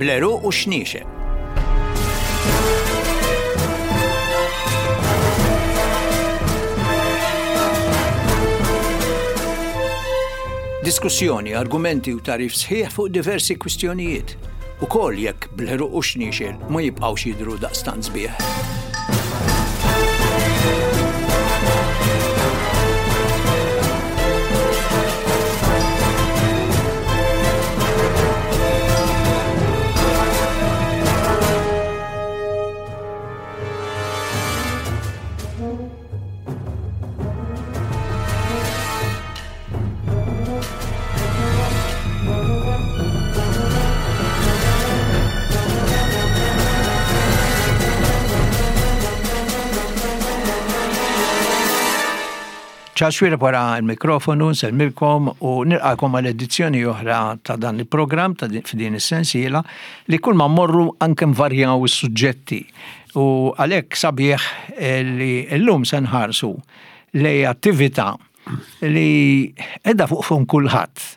Bl-għeruq u x-xniexel. Diskussjoni, argumenti u tagħrif sħiħ fuq diversi kwistjonijiet, ukoll jekk bl-għeruq u x-xniexel ma jibqgħux jidhru daqstant sbieħ. Charles Xuereb wara l-mikrofonu, nsellmilkom u nilqakom għal edizzjoni oħra ta' dan il-programm ta' f'din is-sensiela li kull ma mmorru anke nvarjaw is-suġġetti. U għalhekk sabiħ li llum se nħarsu lej attività li qiegħda fuq fum kulħadd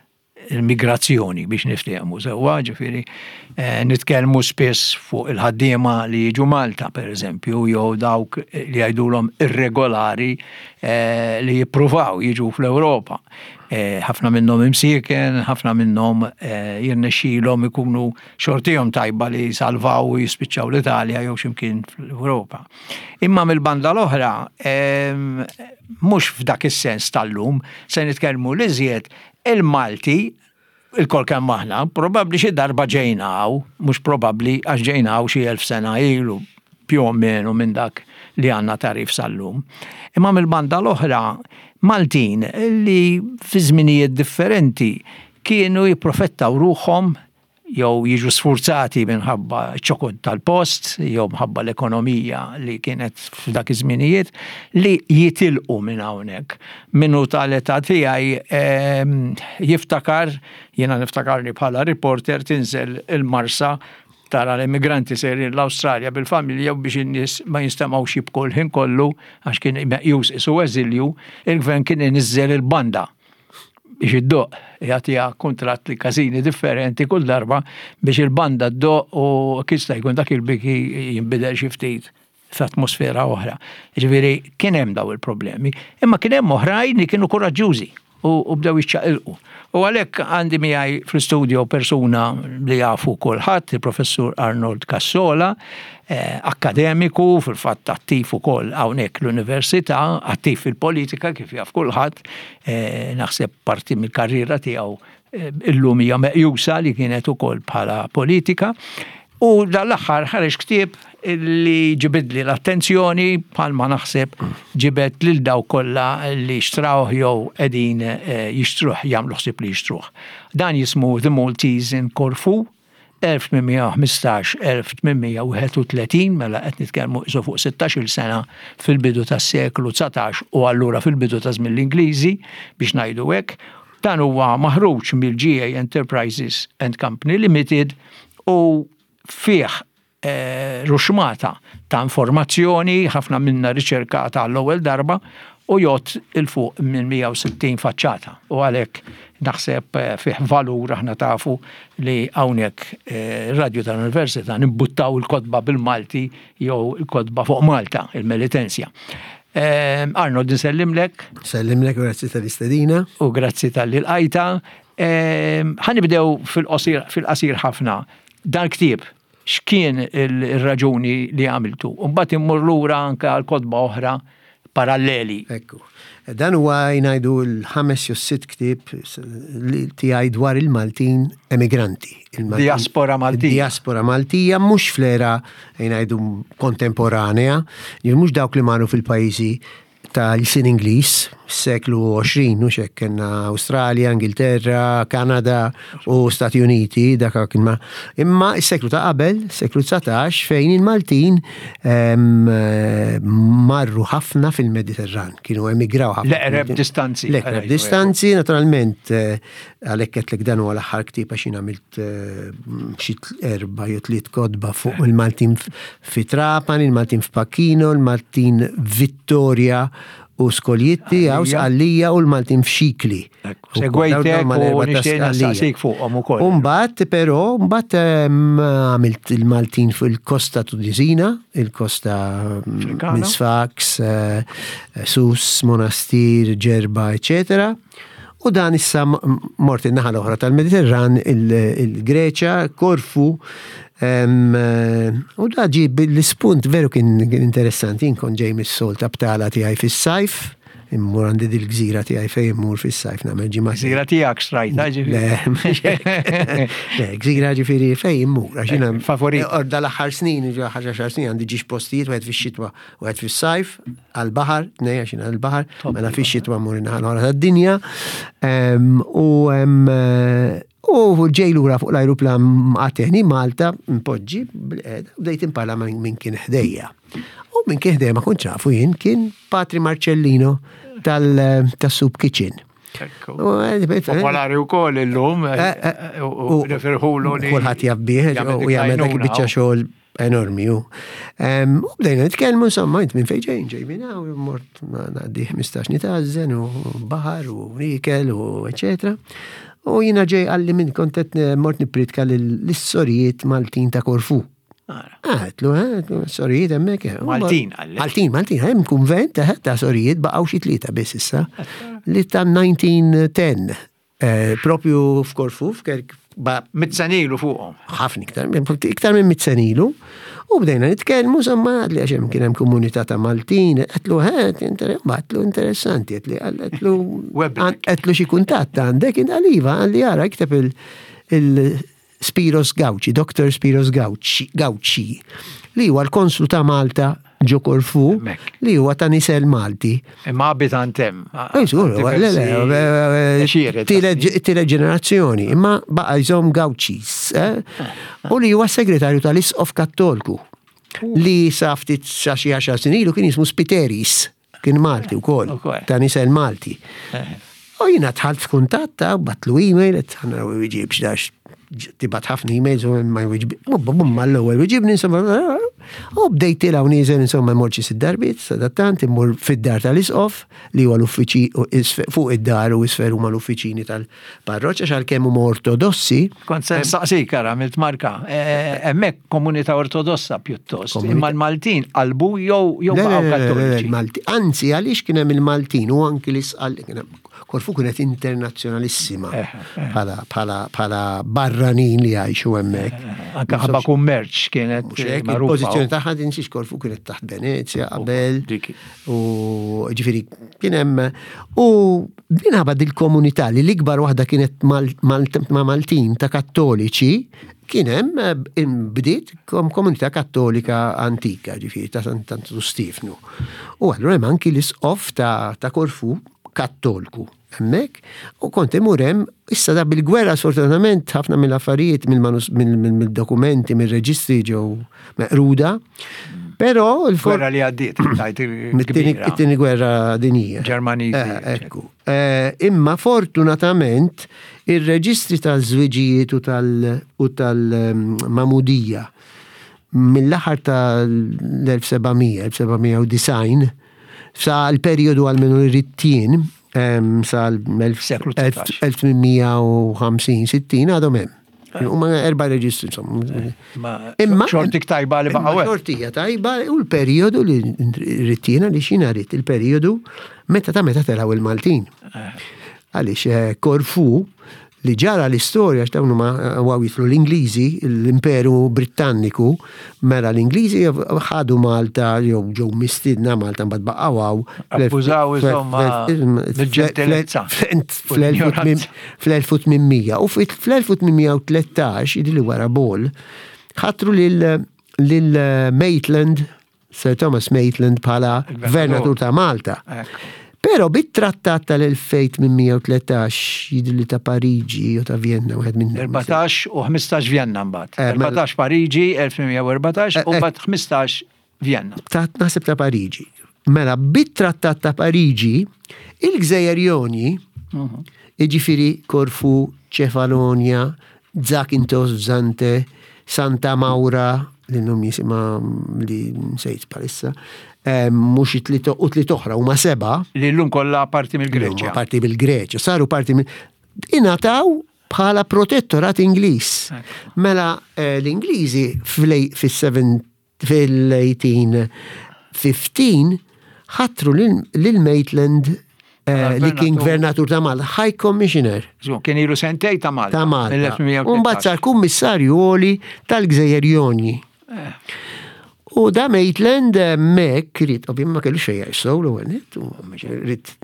il-migrazzjoni biex niftehmu sewwa, ġifieri eh, nitkellmu spiss fuq il-ħaddiema li jiġu Malta pereżempju jew dawk li jgħidulhom irregolari eh, li jippruvaw jiġu fl-Ewropa. Eh, ħafna minnhom imsieken, ħafna minnhom jirnexxilhom ikunu xortihom tajba li salvaw u jispiċċaw l-Italja jew x'imkien fl-Ewropa. Imma mill-banda l-oħra, mhux f'dak is-sens tal-lum, se nitkellmu li żjed il-Malti il-kol kemm aħna, probabbli xi darba ġejna hawn, mhux probabbli għax ġejna hawn xi elf sena ilu, più o meno minn dak li għandna tagħrif sal-lum. Imma mill-banda l-oħra, Maltin li fi żminijiet differenti kienu jipprofettaw ruħhom jew jiġu sfurzati minħabba ċ-ċokon tal-post jew mħabba l-ekonomija li kienet f'dak iż-żminijiet li jitilqu minn hawnhekk. Min hu tal-età tiegħi ehm, jiftakar, jiena niftakarni bħala reporter tinżel il-Marsa tara l-immigranti sejrin l-Awstralja bil-familja u biex in-nies ma jinstemgħux jibku l-ħin kollu għax kien meqjus isu eżilju, il-gvern kien iniżżel il-banda biex iddoqq, jagħtiha kuntratt li każini differenti kull darba biex il-banda ddoqq u jista' jkun dak il-biki jinbidel xi ftit f'atmosfera oħra. Ġifieri kien hemm daw il-problemi, imma kien hemm oħrajn li kienu kuraġġużi u bdew jiċċaqilqu. U għalhekk għandi miegħi fl-istudio persuna li jafu kulħadd, il-Professur Arnold Cassola, eh, akkademiku, fil-fatt attiv ukoll hawnhekk l-università, attiv fil-politika kif jaf kulħadd, eh, naħseb parti mill-karriera tiegħu eh, illum hija meqjusa li kienet ukoll bħala politika. U dal-aħħar ħareġ ktieb li ġibidli l-attenzjoni bħalma naħseb ġibed lil daw kollha li xtrawh jew qegħdin eh, jixtruh jagħmlu ħsieb li jixtruh. Dan jismu The Maltese in Corfu 1815-1831, mela qed nitkellmu isu fuq 16-il sena fil-bidu tas-seklu 19 u allura fil-bidu ta' żmien l-Ingliżi biex ngħidu hekk. Dan huwa maħruġ mill-GA Enterprises and Company Limited u fih eh, ruxmata ta' informazzjoni, ħafna minna riċerkata għall-ewwel darba, u jgħodd 'il fuq minn 160 faċċata. U għalhekk naħseb eh, fih valur aħna tafu li hawnhekk eh, radju tal-Università nimbuttaw il-kotba bil-Malti jew il-kotba fuq Malta, il-Melitensja. Arnold, nsellimlek. Sellimlek, grazzi tal-istedina. U grazzi tal-li l-qajta. Ħanibdew fil-qasir ħafna. Dan ktieb, x'kien ir-raġuni li għamiltu? U mbagħad immur lura anke għal kotba oħra paralleli. Ekku. Dan huwa jngħidu l-ħames jew sitt ktieb li tiegħi dwar il-Maltin emigranti. Diaspora Maltija. Diaspora Maltija mhux fl-era jngħidu kontemporanea, mhux dawk li marru fil-pajjiżi tal-sin Ingliż, seklu 20, u xek kena Australia, Ingilterra, Kanada u Stati Uniti, dak kien ma. Imma s-seklu ta' qabel, seklu 19, fejn il-Maltin marru ħafna fil-Mediterran, kienu emigraw ħafna. L-eqreb distanzi. L-eqreb distanzi, naturalment, eh, għalhekk qedlek dan huwa l-aħħar ktieb għax jien għamilt eh, xi erba' jew tliet kotba fuq il-Maltin fi Trapani, il-Maltin f'Pacchino, il-Maltin Vittoria. u Skoljitti, hawn Sqallija u l-Maltin f'Xikli. Segwejtek u nixtieq nistaqsik fuqhom ukoll. Umbagħad però mbagħad għamilt il-Maltin fil-Kosta Tunisina, il-Kosta minn Sfax, eh, Sus, Monastir, Ġerba, eċetera. U dan issa mort in-naħa l-oħra tal-Mediterran, il-Greċja, Korfu, u da ġi l-ispunt veru kien interessanti, jien kont ġej mis-sol ta' btala tiegħi fis-sajf, immur għandi dil-gżira tiegħi fejn immur fis-sajf nagħmel ġimgħa. Gżira tiegħek xtrajta ġifieri. Le, gżira ġifieri fejn immur, għax jiena favorit. Orda l-aħħar snin, ġo ħaġa snin għandi ġiex postijiet wieħed fix-xitwa Wieħed fis-sajf, għall-baħar, tnej għax għall-baħar, mela fix-xitwa mmur in-naħa l-oħra tad-dinja. U u ġej lura fuq l-ajruplan għateni Malta, mpoġġi, bdejt imparla minn kien ħdejja. U minn kien ħdejja ma kontx nafu jien kien Patri Marcellino tal-Soup Kitchen. Popolari u koll illum, eh, eh, u nifirħulu li. Kulħadd jabbih, u jagħmel dak biċċa xogħol enormi u. U bdejna nitkellmu insomma int minn fejn ġejn ġej minn hawn mort ngħaddi 15 nitażen u baħar u ikel u eċetera. U jiena ġej għalli minn kont qed mort nippritka lis-sorijiet Maltin ta' Korfu. Għedtlu, eh, sorijiet hemmhekk. Eh. Maltin għalli. Maltin, Maltin, hemm kunvent eh, ta' sorijiet baqgħu xi tlieta biss issa li ta' 1910 Eh, propju f'Korfu, f'Kerk. Mit-senilu fuqhom. Ħafna iktar, iktar minn mit-senilu. U bdejna nitkellmu, insomma, li għax hemm kien hemm komunità ta' Maltin, qedlu ħed, għatlu interessanti, qedli għatlu għatlu xi kuntatt għandek, għaliva, għalli għara, ikteb il Spiros Gauci, Dr. Spiros Gauci, Gauci, li huwa l-konslu ta' Malta ġo Korfu, li huwa ta' nisel Malti. Imma abitant hemm. Eh, tielet ġenerazzjoni, imma baqa' jżomm Gaucis, eh? u li huwa segretarju tal-Isqof Kattolku li sa ftit sa xi għaxar snin ilu kien jismu Spiteris. Kien Malti wkoll, ta' nisel Malti. Eh. U jiena dħalt f'kuntatt ta' batlu email, qed ħana wieġibx dax tibat ħafna emails u ma jwiġib. Bum mal-ewwel wieġibni insomma. U bdejt tilgħu nieżel insomma mort xi sitt darbiet, sadattant immur fid-dar tal-isqof li huwa l-uffiċi fuq id-dar u isfel huma l-uffiċini tal Parroċċa għax għalkemm huma ortodossi. Kont se nsaqsik ara għamilt marka. E, e, hemmhekk komunità ortodossa pjuttost. Imma l-Maltin qalbu jew jew baqgħu kattoliċi. Anzi għaliex kien hemm il-Maltin u anki l-isqal kien hemm Korfu kienet internazzjonalissima eh, eh. bħala barranin li jgħixu hemmhekk. Eh, anke ħabba kummerċ kienet Il-pożizzjoni tagħha tinsiex Korfu kienet taħt Venezja qabel. U ġifieri kien hemm u minħabba dil-komunità li l-ikbar waħda kienet ma' Maltin ta' Kattoliċi, kien hemm eh, bdiet komunità kattolika antika, ġifieri ta' Santu Stefnu. U allura hemm anki l-isqof ta' Korfu kattolku hemmhekk u kont imur hemm issa da bil-gwerra sfortunatament ħafna mill-affarijiet mill-dokumenti mill-reġistri ġew meqruda. Però il-gwerra li għaddiet, tajt it-tieni gwerra dinjija. Ġermaniżi. Eh, ekku. Eh, imma fortunatament ir-reġistri tal-żwiġijiet u tal-mamudija mill-aħħar tal-1700, 1790, sa l-perjodu għal-menu rittien, sa l-1850-60 għadhom hemm. Huma erba' reġistri insomma. Imma xortik tajba li baqgħu. Xortija tajba u l-perjodu li rittina li xina rit il-perjodu meta ta' meta telgħu il-Maltin. Eh. Għaliex eh, Korfu li ġara l-istorja x'dawn huma għaw jitlu l-Ingliżi, l-Imperu Brittanniku, mela l-Ingliżi ħadu Malta jew ġew mistiedna Malta mbagħad baqgħu hawn. Abbużaw insomma bil-ġentilezza. Fl-1800 u fl-1813 jidhirli wara Ball ħatru lil Maitland Sir Thomas Maitland bħala gvernatur ta' Malta. Però bit-trattat tal-1813 jidhirli ta' Pariġi u ta' Vienna wieħed minn 14 u 15 Vienna mbagħad. 14 eh, Pariġi 1814 u eh, mbagħad 15 Vienna. Ta' naħseb ta' Pariġi. Mela bit-trattat ta' Pariġi il-Gżejjer Joni, mhm. jiġifieri Korfu, Ċefalonia, Zakynthos, Zante, Santa Maura. li llum jisimha li nsejt bħalissa, mhux it-tliet u tliet oħra huma seba'. Li llum kollha parti mill-Greċja. Parti mill-Greċja, saru parti mill ingħataw bħala protettorat Ingliż. Mela eh, l-Ingliżi fil-1815 ħatru lil Maitland eh, li kien gvernatur ta' Malta, High Commissioner. Kien ilu sentej ta' Malta. Ta' Malta. Umbagħad sar kummissarju għoli tal-Gżejjer Jonji. Eh. U da Maitland eh, mek rrit, ovvijament ma kellu xejn jgħix sew l-ewwel rrit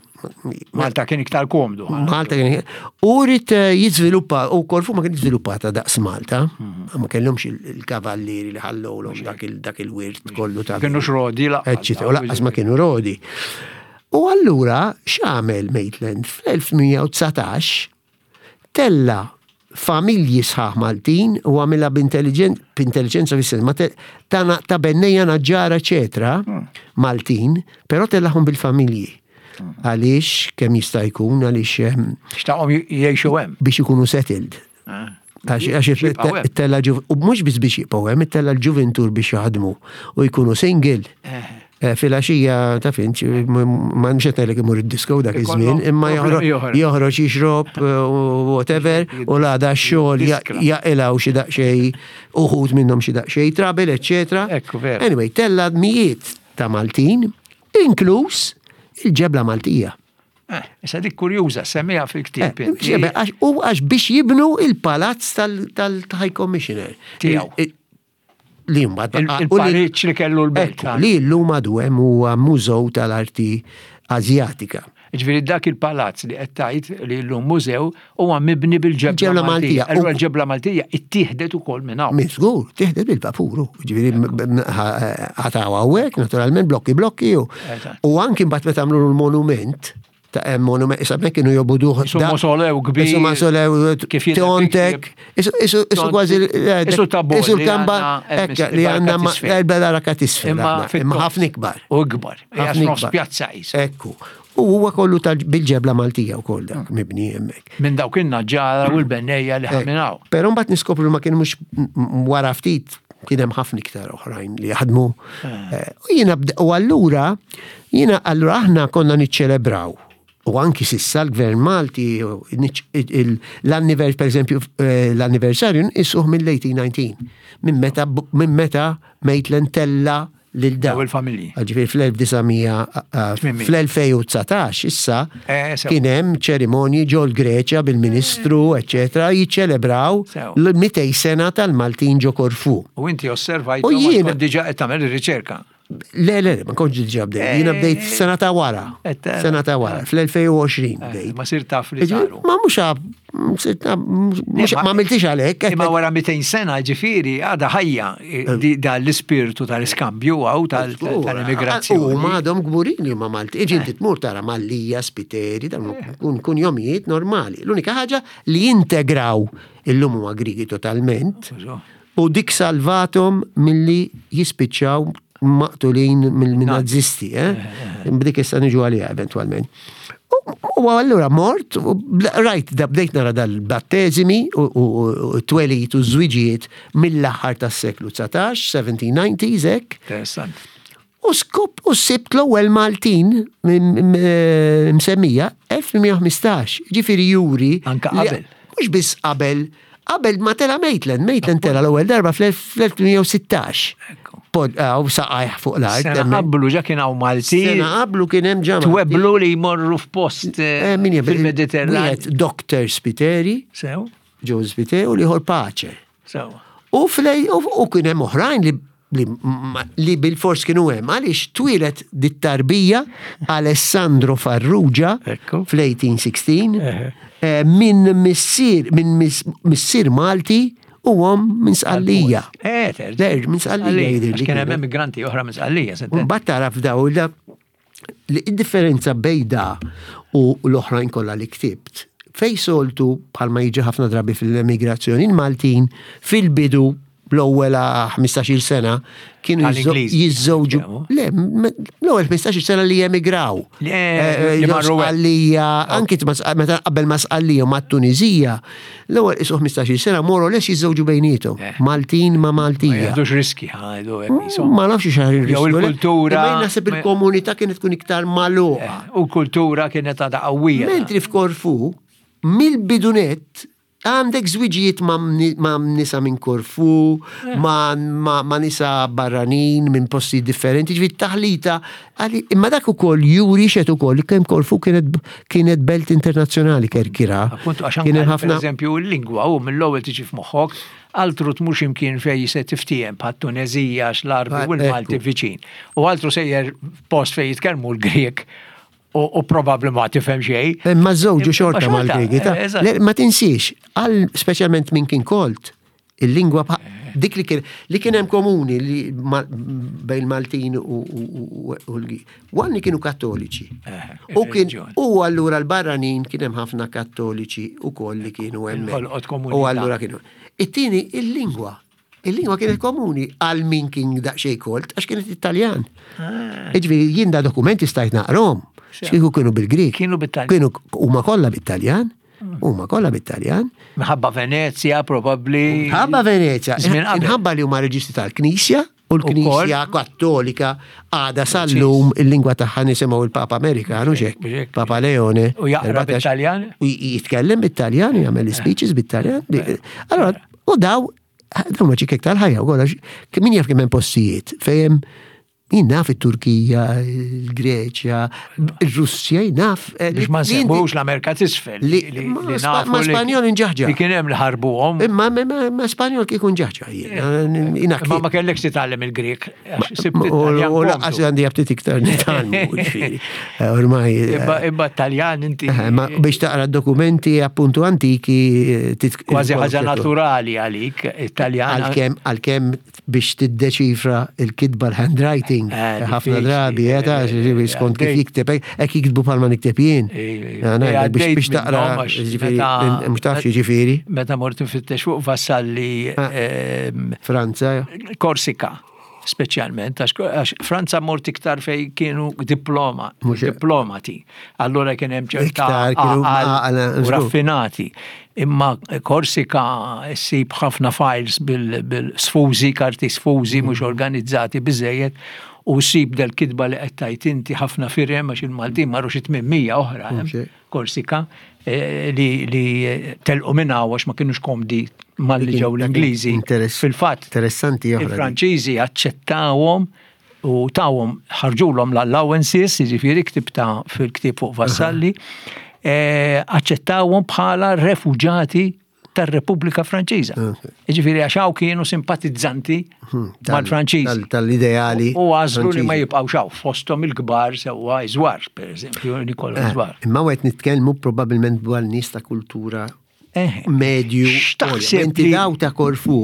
Malta kien iktar komdu. Malta kien U rrit eh, jiżviluppa, u Korfu ma kien żviluppata daqs Malta, mhm. ma kellhomx il-kavallieri li ħallowlhom dak il-wirt kollu ta' Kienu rodi laqqas. U laqqas ma kienu rodi. U allura x'għamel Maitland fl-1819 tella' familji sħaħ Maltin u għamilha b'intelliġenza fis-sens ma ta' ta' bennejja naġġara eċetera hmm. Maltin, però tellahom bil-familji. Hmm. Għaliex kemm jista' jkun għaliex ehm, xtaqhom jgħixu hemm. Biex ikunu settled. Ah. Għax it-tella u mhux biss biex jibqgħu hemm, it-tella l-ġuventur biex jaħdmu u jkunu single. Eh. Eh, Filaxija ta' finċ, ma mxet ngħidlek imur id-disco dak iż-żmien, imma joħroġ jixrob eh, whatever u l-għada x-xogħol jaqilgħu xi daqsxejn uħud minnhom xi daqsxejn trouble, eċetera. Anyway, tella mijiet ta' Maltin, inkluż il-ġebla Maltija. Eh, issa dik kurjuża, semmiha fil-ktieb. U għax biex jibnu il-palazz tal-High Commissioner. Tiegħu. Li mbagħad il-pariċ li kellu l-belt. Li llum għadu hemm huwa mużew tal-arti Azjatika. Ġifieri dak il-palazz li qed tgħid li llum mużew huwa mibni bil-ġebla Maltija. Allura l-ġebla Maltija ittieħdet ukoll minn hawn. Minn żgur, tieħdet bil-vapuru. Ġifieri għataw hawnhekk, naturalment blokki blokki. U anki mbagħad meta għamlu l-monument, ta' hemm monument, issa hemmhekk kienu jobuduh. Isu mausolew kbir. Isu mausolew kif Tiontek. Isu kważi. Isu tabbo. Isu l-kamba li għandna l-baraka tisfel. Imma ħafna ikbar. U ikbar. Ħafna ikbar. Pjazza qis. Ekku. U huwa kollu bil-ġebla Maltija wkoll dak hmm. mibni hemmhekk. Minn dawk in-naġġara u l-bennejja li ħaminaw. Però mbagħad niskopru ma kienu mhux wara ftit kien hemm ħafna iktar oħrajn li jaħdmu. Eh. Eh, u jiena u allura jiena allura aħna konna niċċelebraw u anki sissa l-Gvern Malti l-annivers per eżempju eh, l-anniversarju nqisuh mill-1819 minn meta minn meta Maitland tella lil dawn. il-familji. Ġifieri fl-1900 fl-2019 issa eh, kien hemm ċerimonji ġol Greċja bil-Ministru, eċetera, jiċċelebraw l-200 sena tal-Maltin ġo Korfu. U inti osservajt u jien diġà qed tagħmel ir-riċerka. Le, le, ma kontx diġà bdejt. Jiena eh, bdejt sena ta' wara. Sena ta' wara, fl-2020 eh, bdejt. Ma sir taf li saru. Ma mhux Ma għamiltix għalhekk. Imma wara 200 sena ġifieri għadha ħajja eh, da l-ispirtu tal-iskambju għaw tal-immigrazzjoni. U ma għadhom kburin li huma Malti. Iġi inti tmur tara Mallija, Spiteri, dawn kun kun jomijiet normali. L-unika ħaġa li jintegraw illum huma Grigi totalment. U dik salvatom milli jispiċċaw maqtulin mill-nazisti, eh? eh, eh. B'dik issa niġu għaliha eventwalment. U allura mort, rajt, da bdejt nara dal-batteżimi u t-twelid u ż-żwiġijiet mill-aħħar tas-seklu 19, 1790s hekk. Interessant. U skop u sibt l-ewwel Maltin msemmija 1815, ġifieri juri. Anka qabel. Mhux biss qabel, qabel ma tela Maitland, Maitland tela l-ewwel darba fl-1816. U saqajh fuq l-art. Sena qablu ġa kien hawn Malti. Sena qablu kien hemm ġa. Tweblu li jmorru f'post eh, eh, fil-Mediterran. Dr. Spiteri. Sew. Joe Spiteri u liħor Pace. Sew. U flej u kien hemm oħrajn li li bil-fors kienu hemm għaliex twieled dit-tarbija Alessandro Farrugia fl-1816 eh, minn missier minn missier Malti u għom minn Sqallija. Eh, Der, minn Sqallija jidher. Kien hemm immigranti oħra minn Sqallija. Mbagħad tara f'daw li id-differenza bejn da u l-oħrajn kollha li ktibt, fej soltu bħalma jiġi ħafna drabi fil-emigrazzjoni, il-Maltin fil-bidu l-ewwel 15-il sena kienu jiżżewġu. Le, l-ewwel 15-il sena li emigraw. Eh, eh, li marru Sqallija, anki meta qabel ma Sqallija ma' Tunizija, l-ewwel isu 15-il sena more or less jiżżewġu bejnietom. Eh. Maltin ma' Maltija. Ma riski ħajdu Ma nafx xi riski. Jew il-kultura. Imma naħseb il-komunità kienet tkun iktar magħluqa. U l-kultura kienet għadha qawwija. Mentri f'Korfu, mill-bidunet Għandek żwiġijiet ma' nisa minn Korfu, eh. ma' nisa barranin minn posti differenti, ġifieri taħlita. Imma dak ukoll juri xed ukoll kemm Korfu kienet belt internazzjonali kerkira. Appuntu għax kien ħafna. Eżempju l-lingwa u mill-ewwel tiġi f'moħħok, altru tmur imkien fej se tiftiem bħat Tunezija għax l-Arbi u l-Malti viċin. U altru sejjer post fej jitkellmu l-Grek u probabbli ma tifhem xejn. Imma żewġu xorta mal-Griegi. Eh, ma tinsiex, għal speċjalment minn kien kolt, il-lingwa dik li kien li kien hemm komuni li bejn Maltin u l-Għan li kienu kattoliċi. Eh, u kien u allura l-barranin kien hemm ħafna kattoliċi u koll li kienu hemm. U allura kienu. It-tieni il-lingwa. Il-lingwa kienet komuni għal min kien daqsxejn kolt, għax kienet Italjan. Ah. Iġifieri jien da dokumenti stajt naqrom. Xieku kienu bil-Grik. Kienu bit-Taljan. Kienu huma kollha bit-Taljan. Mm. Huma kollha bit-Taljan. Minħabba Venezia probabbli. Minħabba Venezia. Minħabba li huma reġistri tal-Knisja u l-Knisja Kattolika għada sal-lum il-lingwa tagħha nisimgħu il-Papa Amerikanu xek, Papa Leone. U jaqra bit-Taljan? U jitkellem bit-Taljan, jagħmel speeches bit-Taljan. Eh. Allora, u daw Dawn ma ċikek tal-ħajja u għolax, min jaf kemm hemm postijiet fejn jien naf it-Turkija, il-Greċja, il-Russja, jien naf. Eh, Biex ma nsemmux l-Amerika t'isfel. Li ma Spanjol inġaħġa. Li kien hemm li ħarbuhom. Imma ma Spanjol kieku nġaħġa jien. Eh, ma ma kellekx titgħallem il-Grek. U laqas għandi għabtit iktar nitgħallmu. Eh, ormai. Imma Taljan inti. Ma biex taqra dokumenti appuntu antiki. Kważi ħaġa naturali għalik, Italjan. Għalkemm biex tiddeċifra il-kitba l-handwriting, eh, ħafna drabi, eh, ta' eh, skont kif jikteb, hekk jiktbu bħalma nikteb jien. Biex taqra, mhux tafx jiġifieri. Meta mort nfittex fuq Vassalli. Ah. Ehm, Franza. Korsika speċjalment, għax Franza mort iktar fej kienu diploma, diplomati. Allura kien hemm ċerta u raffinati. Imma Korsika ssib ħafna files bil-sfużi, karti sfużi mhux mm. organizzati biżejjed u ssib del-kitba li qed tajt inti ħafna firem għax il-Maltin marru xi 800 oħra. Korsika eh, li, li telqu minn għax ma kienux komdi malli ġew l-Ingliżi. Fil-fatt, interessanti il-Franċiżi aċċettawhom u tawhom ħarġulhom l-allowances, jiġifieri ktibta fil-ktieb fuq Vassalli, eh, aċċettawhom bħala refuġati tar-Repubblika Franċiża. Jiġifieri għax hawn kienu simpatizzanti hmm, mal-Franċiżi. Tal-ideali. U għażlu li ma jibqgħux hawn fosthom il-kbar sewwa Iżwar, pereżempju, Nikola eh, Iżwar. Imma qed nitkellmu probabbilment dwar nies ta' kultura eh, medju. X'taħseb Inti daw ta' Korfu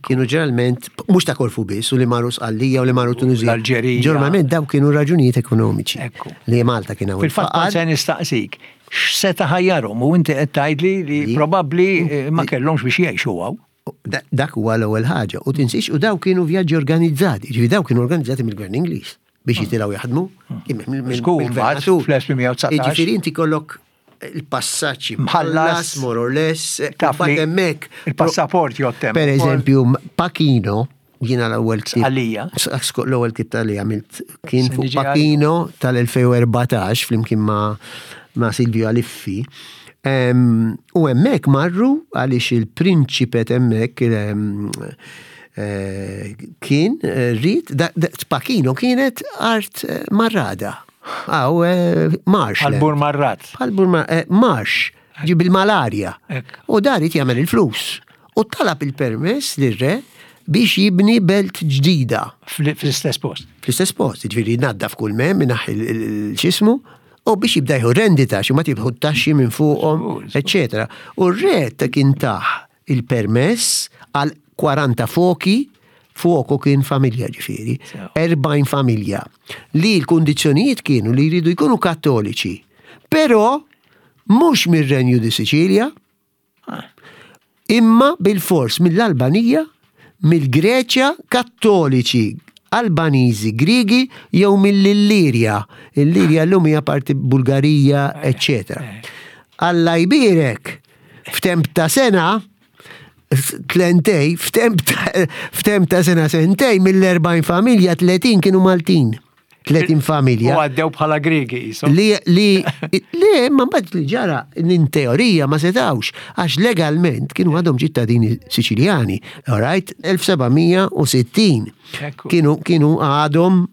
kienu ġeneralment, mhux ta' Korfu biss, u li marru Sqallija u li marru Tunizija. L-Alġerija. Ġeneralment daw kienu raġunijiet ekonomiċi. Li Malta kien hawn. Fil-fatt se nistaqsik, x'seta' ħajjarhom u inti qed tgħidli li probabbli eh, ma kellhomx biex jgħixu hawn. Dak huwa l-ewwel ħaġa. U tinsiex u daw kienu vjaġġi organizzati, ġifi daw kienu organizzati mill-Gvern Ingliż biex jitilgħu jaħdmu. Mill-gvernatur. Fl-1819. Ġifieri inti kollok il-passaġġ mħallas, more or less, taf li hemmhekk. Il-passaport jottem. Per eżempju, Pachino, jiena l-ewwel ktieb. Għalija. L-ewwel ktieb tal-li għamilt kien fuq Pachino tal-2014 flimkien ma' ma' Silvio Aliffi. U hemmhekk marru għaliex il-prinċipet hemmhekk eh, kien eh, rrid Pachino kienet art eh, marrada. Għaw, eh, marx. Għal-bur marrat. Għal-bur eh, marx, ġi bil-malarja. U dar jagħmel il-flus. U talab il-permess lir-re biex jibni belt ġdida. Fl-istess post. Fl-istess post, ġifieri naddaf kull mem, minaħ il-xismu, u biex jibda jħu rendita, xi ma tibħu taxxi minn fuqhom, eċetera. U r-re ta' kien taħ il-permess għal 40 foki, fuoco kien familja ġifieri, 40 familja, li l-kundizzjonijiet kienu li jridu jkunu kattoliċi, però mhux mir-Renju di Sicilia, ah. imma bil-fors mill-Albanija, mill-Greċja, Kattoliċi, Albaniżi, Griegi jew mill-Illirja. Illirja llum hija parti Bulgarija, eċċetera. Alla jbierek f'temp ta' sena tlentej, f'temp ta' sena sentej mill-40 familja 30 kienu Maltin. 30 familja. U għaddew bħala Griegi jisom. Li, li, li, ma mbagħad li ġara in teorija ma setawx, għax legalment kienu għadhom ċittadini Siċiljani, all right, 1760. Kienu, kienu għadhom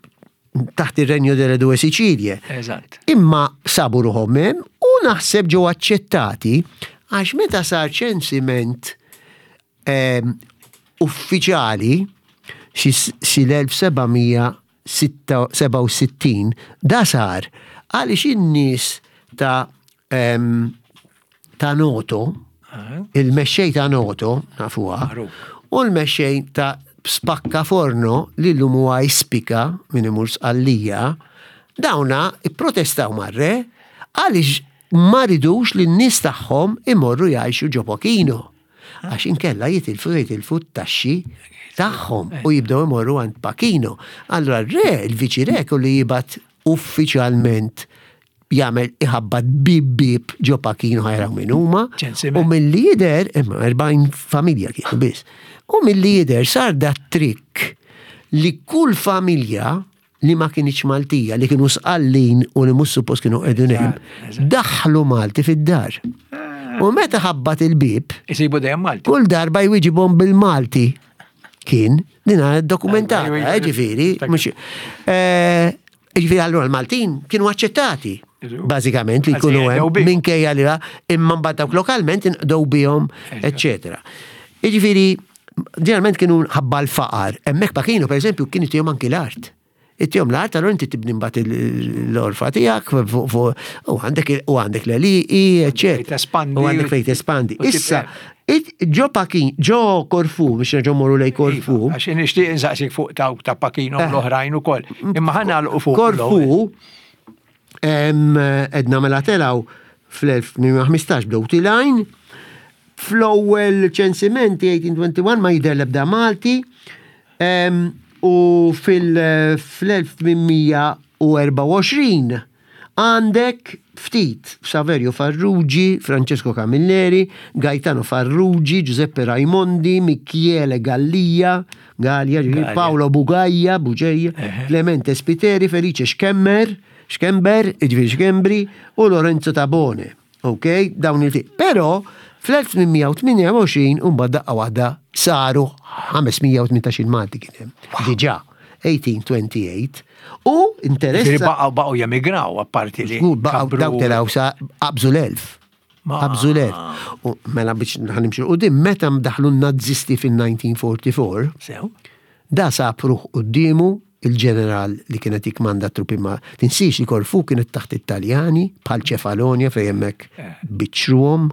taħt ir-Renju delle Due Sicilie. Eżatt. Imma sabu ruħhom hemm u naħseb ġew aċċettati għax meta sar ċensiment ehm, uffiċjali xi l-1767 da sar għaliex in-nies ta' ehm, ta' Noto, il-mexxej ta' Noto, nafuha, u l-mexxej ta' Spaccaforno li llum huwa Ispica min imur Sqallija, dawna ipprotestaw mar-re għaliex ma ridux li n-nies tagħhom imorru jgħixu ġo Pachino. Għax inkella jitilfu jitilfu t-taxxi tagħhom u jibdew imorru għand Pachino. Allura r-re, il-viċi re kellu jibgħat uffiċjalment jagħmel iħabbat bib bib ġo Pachino ħajraw min huma. U milli jidher, imma 40 familja kienu biss. U milli jidher sar dat trikk li kull familja li ma kinitx Maltija, li kienu Sqallin u li mhux suppost kienu qegħdin hemm, daħlu Malti fid-dar. U meta ħabbat il-bib, Isibu dejjem Malti. Kull darba jwiġibhom bil-Malti. Kien, din dokumentata, eh, ġifieri, mhux. Eh, ġifieri allura l-Maltin kienu aċċettati. Bażikament li jkunu hemm minkejja li imma mbagħad dawk lokalment inqdew bihom, eċċetera. Jiġifieri, ġeneralment kienu ħabba l-faqar. Hemmhekk pa kienu, pereżempju, kien itihom anki l-art. Itihom l-art, allura inti tibni mbagħad l-orfa tiegħek u għandek u għandek l-għelieqi, eċċetera. U għandek fejn tespandi. Issa, ġo Pakin, ġo Korfu, biex nerġgħu morru lej Korfu. Iva, għax nixtieq insaqsik fuq dawk ta' Pakino u eh. l-oħrajn ukoll. Imma ħa nagħlqu fuq. Korfu, edna mela telaw fl-1815 bdew tilajn, fl-ewwel ċensimenti 1821 ma jidher l-ebda Malti, u fil-1824 għandek ftit Saverio Farrugi, Francesco Camilleri, Gaetano Farrugi, Giuseppe Raimondi, Michele Gallia, Gallia, Paolo Bugaja, Buġeja, Clemente Spiteri, Felice Schemmer, Schember, jiġifieri Schembri, u Lorenzo Tabone. Ok, dawn il Però fl-1828 mbagħad daqqa waħda saru 518 Malti kien hemm. Diġà 1828. U interess. Ġifieri baqgħu baqgħu jemigraw apparti li. Baqgħu daw telgħu sa qabżu l-1000. Qabżu l-1000. U mela biex ħanimxu qudiem meta daħlu n-Nazisti fil-1944. Sew. Da sab ruħ quddiemu il-ġeneral li kien qed jikkmanda t-truppi ma tinsiex li Korfu kienet taħt it-Taljani bħal Ċefalonja fejn hemmhekk eh. biċċruhom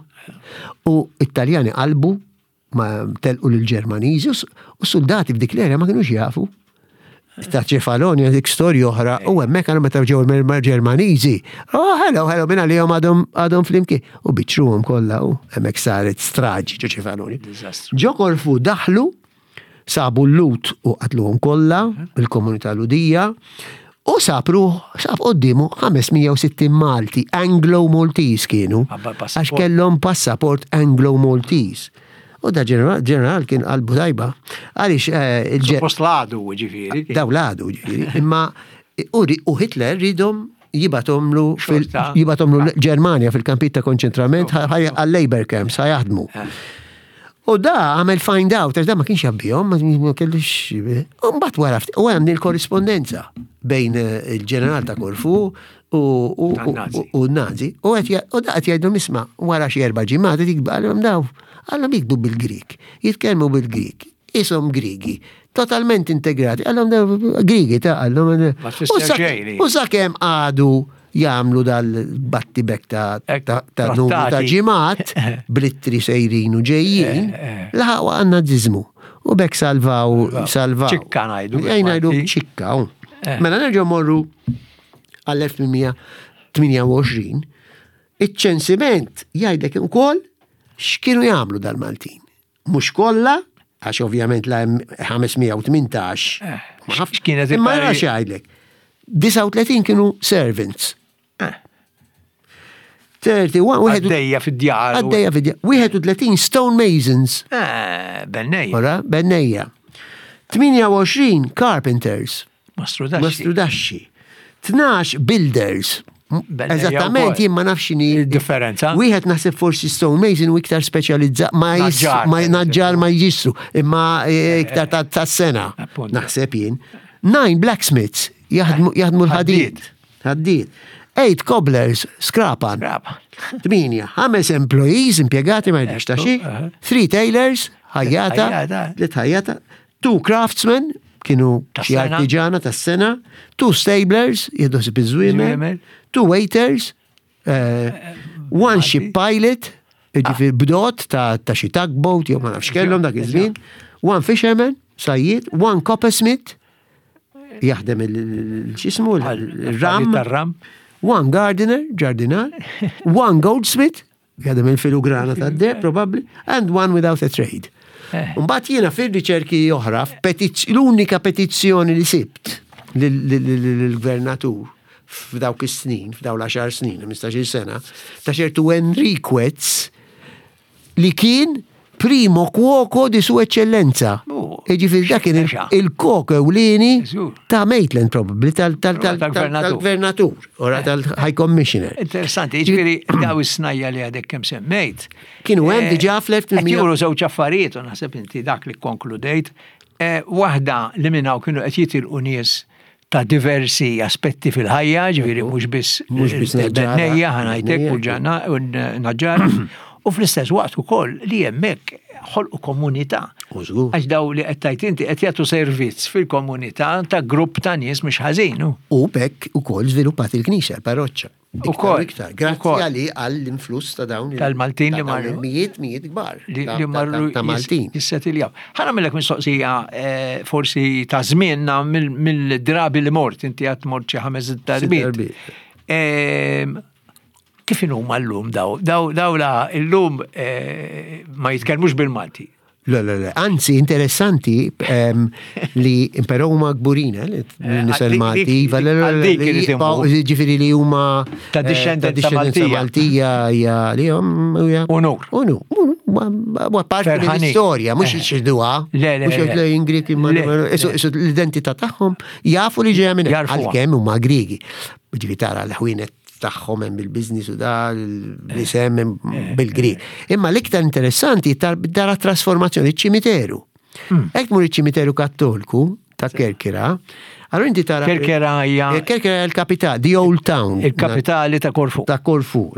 u it-Taljani qalbu ma telqu lill-Ġermaniżi u soldati f'dik l-era ma kinux jafu ta' Ċefalonja dik storja oħra u hemmhekk għal meta ġew il-Ġermaniżi. Oh, hello, hello, minn għalihom għadhom għadhom flimkien. U biċċruhom kollha u hemmhekk saret straġi ġo Ċefalonja. Ġo Korfu daħlu Sabu l-Lhud u qatluhom kollha, il-komunità Lhudija, u sab ruħ, sab qoddimu 560 Malti, Anglo-Maltese kienu, għax kellhom passaport Anglo-Maltese. U da ġeneral kien qalbu tajba. Għaliex eh, il Post l-għadu, ġifieri. Daw l-għadu, ġifieri. Imma u Hitler ridhom jibatomlu jibatomlu l-Ġermanja fil-kampijiet ta' konċentrament għal-labor camps ħajaħdmu. Eh. U da għamel find out, għax da ma kienx jabbihom, ma kellux. U mbagħad wara u hemm il-korrispondenza bejn eh, il-ġeneral ta' Korfu u n-Nazi. U da qed jgħidu isma' wara xi erba' ġimgħat għalhom daw, għalhom jikbu bil-Grik, jitkellmu bil-Grik, isom Grigi, totalment integrati, għallhom Grigi ta' għallhom. U sakemm għadu jagħmlu dal-battibek ta' ta' numru ta' ġimgħat blittri sejrin u ġejjin, eh, eh. laħaq għan naziżmu. U bekk salvaw, salvaw. ċikka ngħidu. Ej ngħidu ċikka. Eh. Mela nerġgħu morru għall-1828, iċ-ċensiment jgħidlek ukoll x'kienu jagħmlu dal-Maltin. Mhux kollha. Għax ovvjament la hemm 518. Eh, Ma nafx. x'kienet Imma il-pari- ra x'għidlek. 39 kienu servants. Eh. 31 wieħed Għaddejja fid-djar. u- għaddejja fid 31 stone masons. Eh, Bennejja. Ora, bennejja. 28 carpenters. Mastru daxxi. Mastrudaxxi. 12 builders. Bennejja Eżattament, wkoll. jien ma nafx x'inhi Il-differenza. Wieħed naħseb forsi stone mason u iktar speċjalizzat ma jis- Naġġar, ma per naġġar ma jġissru, imma eh, iktar ta' ta' sena. Appunto. Naħseb jien. Nine blacksmiths jaħdmu jaħdmu l-ħadid. Ħadid. Eight cobblers, skrapan. Brava. Tminja, ħames employees impiegati ma jidhirx ta' xi, Ekku, aha. three tailors, ħajjata, Ħajjata. tliet ħajjata, two craftsmen, kienu Tas xi sena. artiġana tas-sena, two stablers, jieħdu ħsieb iż-żwiemel, Żwiemel. two waiters, eh, one ship pilot, jiġifieri bdot ta' ta' xi tugboat jew ma nafx kellhom dak iż-żmien, one fisherman, sajjied, one coppersmith, jaħdem il-xismu, il-ram, Tar-ram. One gardener, ġardinar, one goldsmith, jadem il-filugrana ta' d probably, and one without a trade. Eh. Mbagħad jiena fil-riċerki oħra, f'petiz- l-unika petizzjoni li sibt lill-gvernatur f'dawk is-snin, f'daw l-10 snin, 15 sena, ta' ċertu Enriquez li kien primo cuoco di su eccellenza. Oh, Ġifieri dak kien il- xexa. il-kok ewlieni Żgur. ta' Maitland probably, tal- tal- tal- Tal-gvernatur. tal-gvernatur, ora tal-High Commissioner. Interessanti, ġifieri daw is-snajja li għadek kemm semmejt. Kienu hemm Eh, diġà fl-1800 Qed juru żewġ affarijiet u naħseb inti dak li konkludejt. Eh, Waħda li minnaw kienu qed jitilqu nies ta' diversi aspetti fil-ħajja, ġifieri mhux biss Mhux biss naġġara. bennejja ħanajtek u Bennejja. ġana u naġġara. U fl-istess waqt ukoll li hemmhekk ħolqu komunità. U żgur. Għax daw li qed tajt inti qed jagħtu servizz fil-komunità ta' grupp ta' nies mhux ħażin. hu. U bekk ukoll żviluppat il-knisja, l-parroċċa. Iktar u Ukoll, Iktar, grazzi ukoll. għali għall-influss ta' dawn il- Tal-Maltin ta' li dawn marru. il-Mijiet, mijiet kbar. li ta- li ta- marru Ta' ta' Maltin. jissetiljaw. Ħana millek mistoqsija eh, forsi ta' żmienna mill- mill-drabi li mort, inti għat mort xi ħames darbiet. darbiet. Ehm, Kif inhuma llum daw? Daw daw la llum eh, ma jitkellmux bil-Malti. Le, le, le. Anzi, interessanti ehm, li però huma kburin, eh, li nisel għal dik- Malti, dik- iva, le, le, għal le, dik li irid jibqgħu- imur. ġifieri li huma Ta' eh, discendenza ta' Maltija. Maltija hija li hum hija Unur. Unur. Huwa parti Ferħanin. mill-istorja, mhux Eh. ixduha. Le, le, Mhux le. jgħid li Greki ma Le, le. l-identità tagħhom jafu li ġejja minn hekk, Jarfuha. għalkemm huma Griegi. Ġifieri tara l-ħwienet tagħhom hemm bil-business u da l-isem hemm bil-Grieg. Imma l-iktar interessanti tara trasformazzjoni ċ-ċimiteru. Hekk tmur iċ-ċimiteru Kattolku ta' Kerkera, allora inti tara Kerkera hija Eh, Kerkera hija l-kapitali, the old town. il-kapitali ta' Korfu. Ta' Korfu.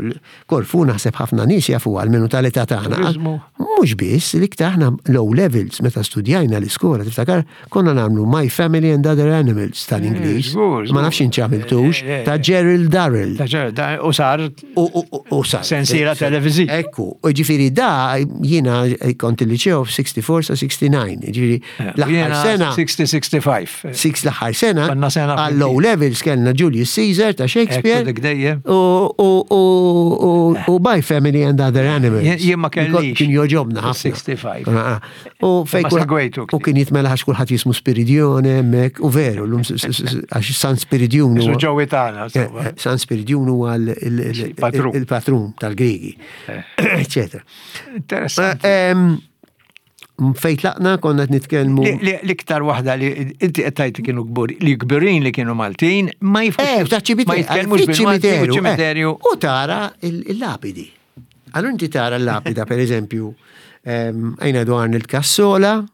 Korfu naħseb ħafna nies jafu għal-menu tal-età tagħna. Turizmu. Mhux biss, l-iktar aħna low levels meta studjajna l-iskola, tiftakar konna nagħmlu My Family and Other Animals tal-Ingliż. Eh, żgur, Ma nafx inti għamiltux, Eh, eh, ta' Gerald Darrell. Ta' ġer- da- U sar U, u, u, u sar. Sensiela televiżiva. Ekku, u ġifiri da jiena kont il-liceo f-64 sa 69, ġifiri l-aħħar Eh, jiena sena. 60-65. Six l-aħħar sena, Konna sena għal low levels kellna Julius Caesar ta' Shakespeare. Ekku dik dejjem. U, u, u, u, u My Family and Other Animals. Jien- jien ma kellix. Kien joġobna ħafna. 65. Ah, U fej Ma kulħadd- segwejtu U kien jitmela għax kulħadd jismu Spiridione hemmhekk u veru, l-lum għax San Spiridion. Isu huwa- ġowi tagħna. Eh, insomma. eh, San Spiridion huwa l- il- il- Patrun. il-patrun tal-Grigi, eccetera. Interessanti. Eh, em, Fejn tlaqna konna qed nitkellmu. Li- li- L-iktar waħda li inti qed tgħid li kienu kbur, li kbirin li kienu Maltin, ma jifux. Eh, ta' ċimiterju. Ma jitkellmux bil-Malti u ċimiterju. eh. U tara il- il-lapidi. Allora inti tara l-lapida, per eżempju, ehm, għajna du Arnold Cassola,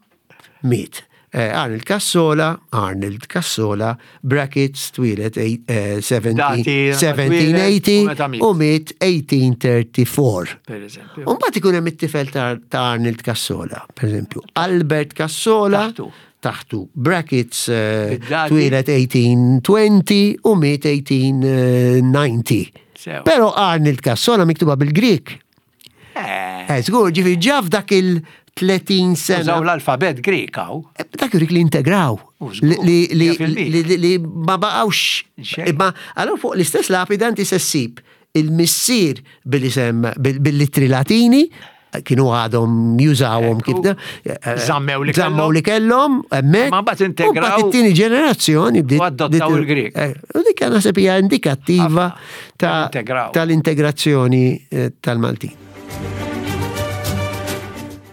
miet. Eh, Arnold Cassola, Arnold Cassola, brackets twilet eh, 17 Dati, 1780 u meta miet. u miet 1834. Per eżempju. Umbat ikun hemm it-tifel ta' ta' Arnold Cassola, per eżempju. Albert Cassola. Taħtu. Taħtu. Brackets eh, Bid-dati. twilet 1820 u miet 1890. Sew. Pero Arnold Cassola miktuba bil-Grik. Eh, Eh, żgur, ġifieri ġa f'dak il-30 sena. Użaw l-alfabet Grek hawn. Eh, Dak jurik li integraw. U żgur, Li, li, li, mija fil-mija. li, li, li ma baqawx. Xejn. Imma allora fuq l-istess lapida inti se ssib il-missier bil-isem bil-littri latini kienu għadhom jużawhom kif da. Żammew li Żammew li kellhom hemmhekk. Ma mbagħad integraw. Mbagħad it-tieni ġenerazzjoni bdiet. Adottaw il-Grek. Eh, u dik naħseb hija indikattiva tal-integrazzjoni eh, tal-Maltin.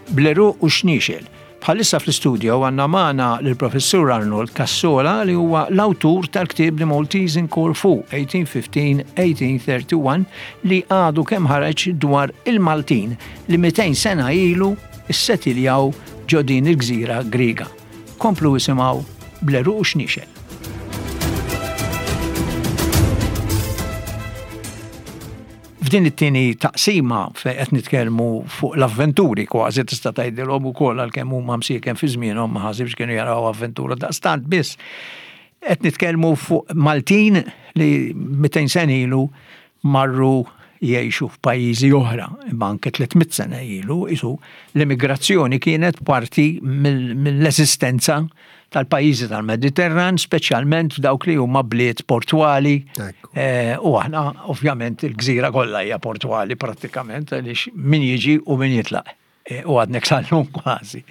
Bleru u xnixel. Bħalissa fl-istudio għandna magħna lill-Professur Arnold Cassola li huwa l-awtur tal-ktieb The Maltese in Corfu 1815-1831 li għadu kemm ħareġ dwar il-Maltin li 200 sena ilu ssetiljaw ġo din il-gżira Griega. Komplu isimgħu bl-għeruq u xniexel. F'din it-tieni taqsima fejn qed nitkellmu fuq l-avventuri kważi tista' tgħidilhom ukoll għalkemm huma msieken fi żmienhom ma ħasibx kienu jaraw avventura daqstant biss. Qed nitkellmu fuq Maltin li 200 sena ilu marru jgħixu f'pajjiżi oħra, imma anke 300 sena ilu isu l-immigrazzjoni kienet parti mill-eżistenza tal-pajjiżi tal-Mediterran, speċjalment f'dawk li huma bliet portwali. Eh, u aħna ovvjament il-gżira kollha hija portwali prattikament għaliex min jiġi u min jitlaq. Eh, u għadnek sal-lum kważi.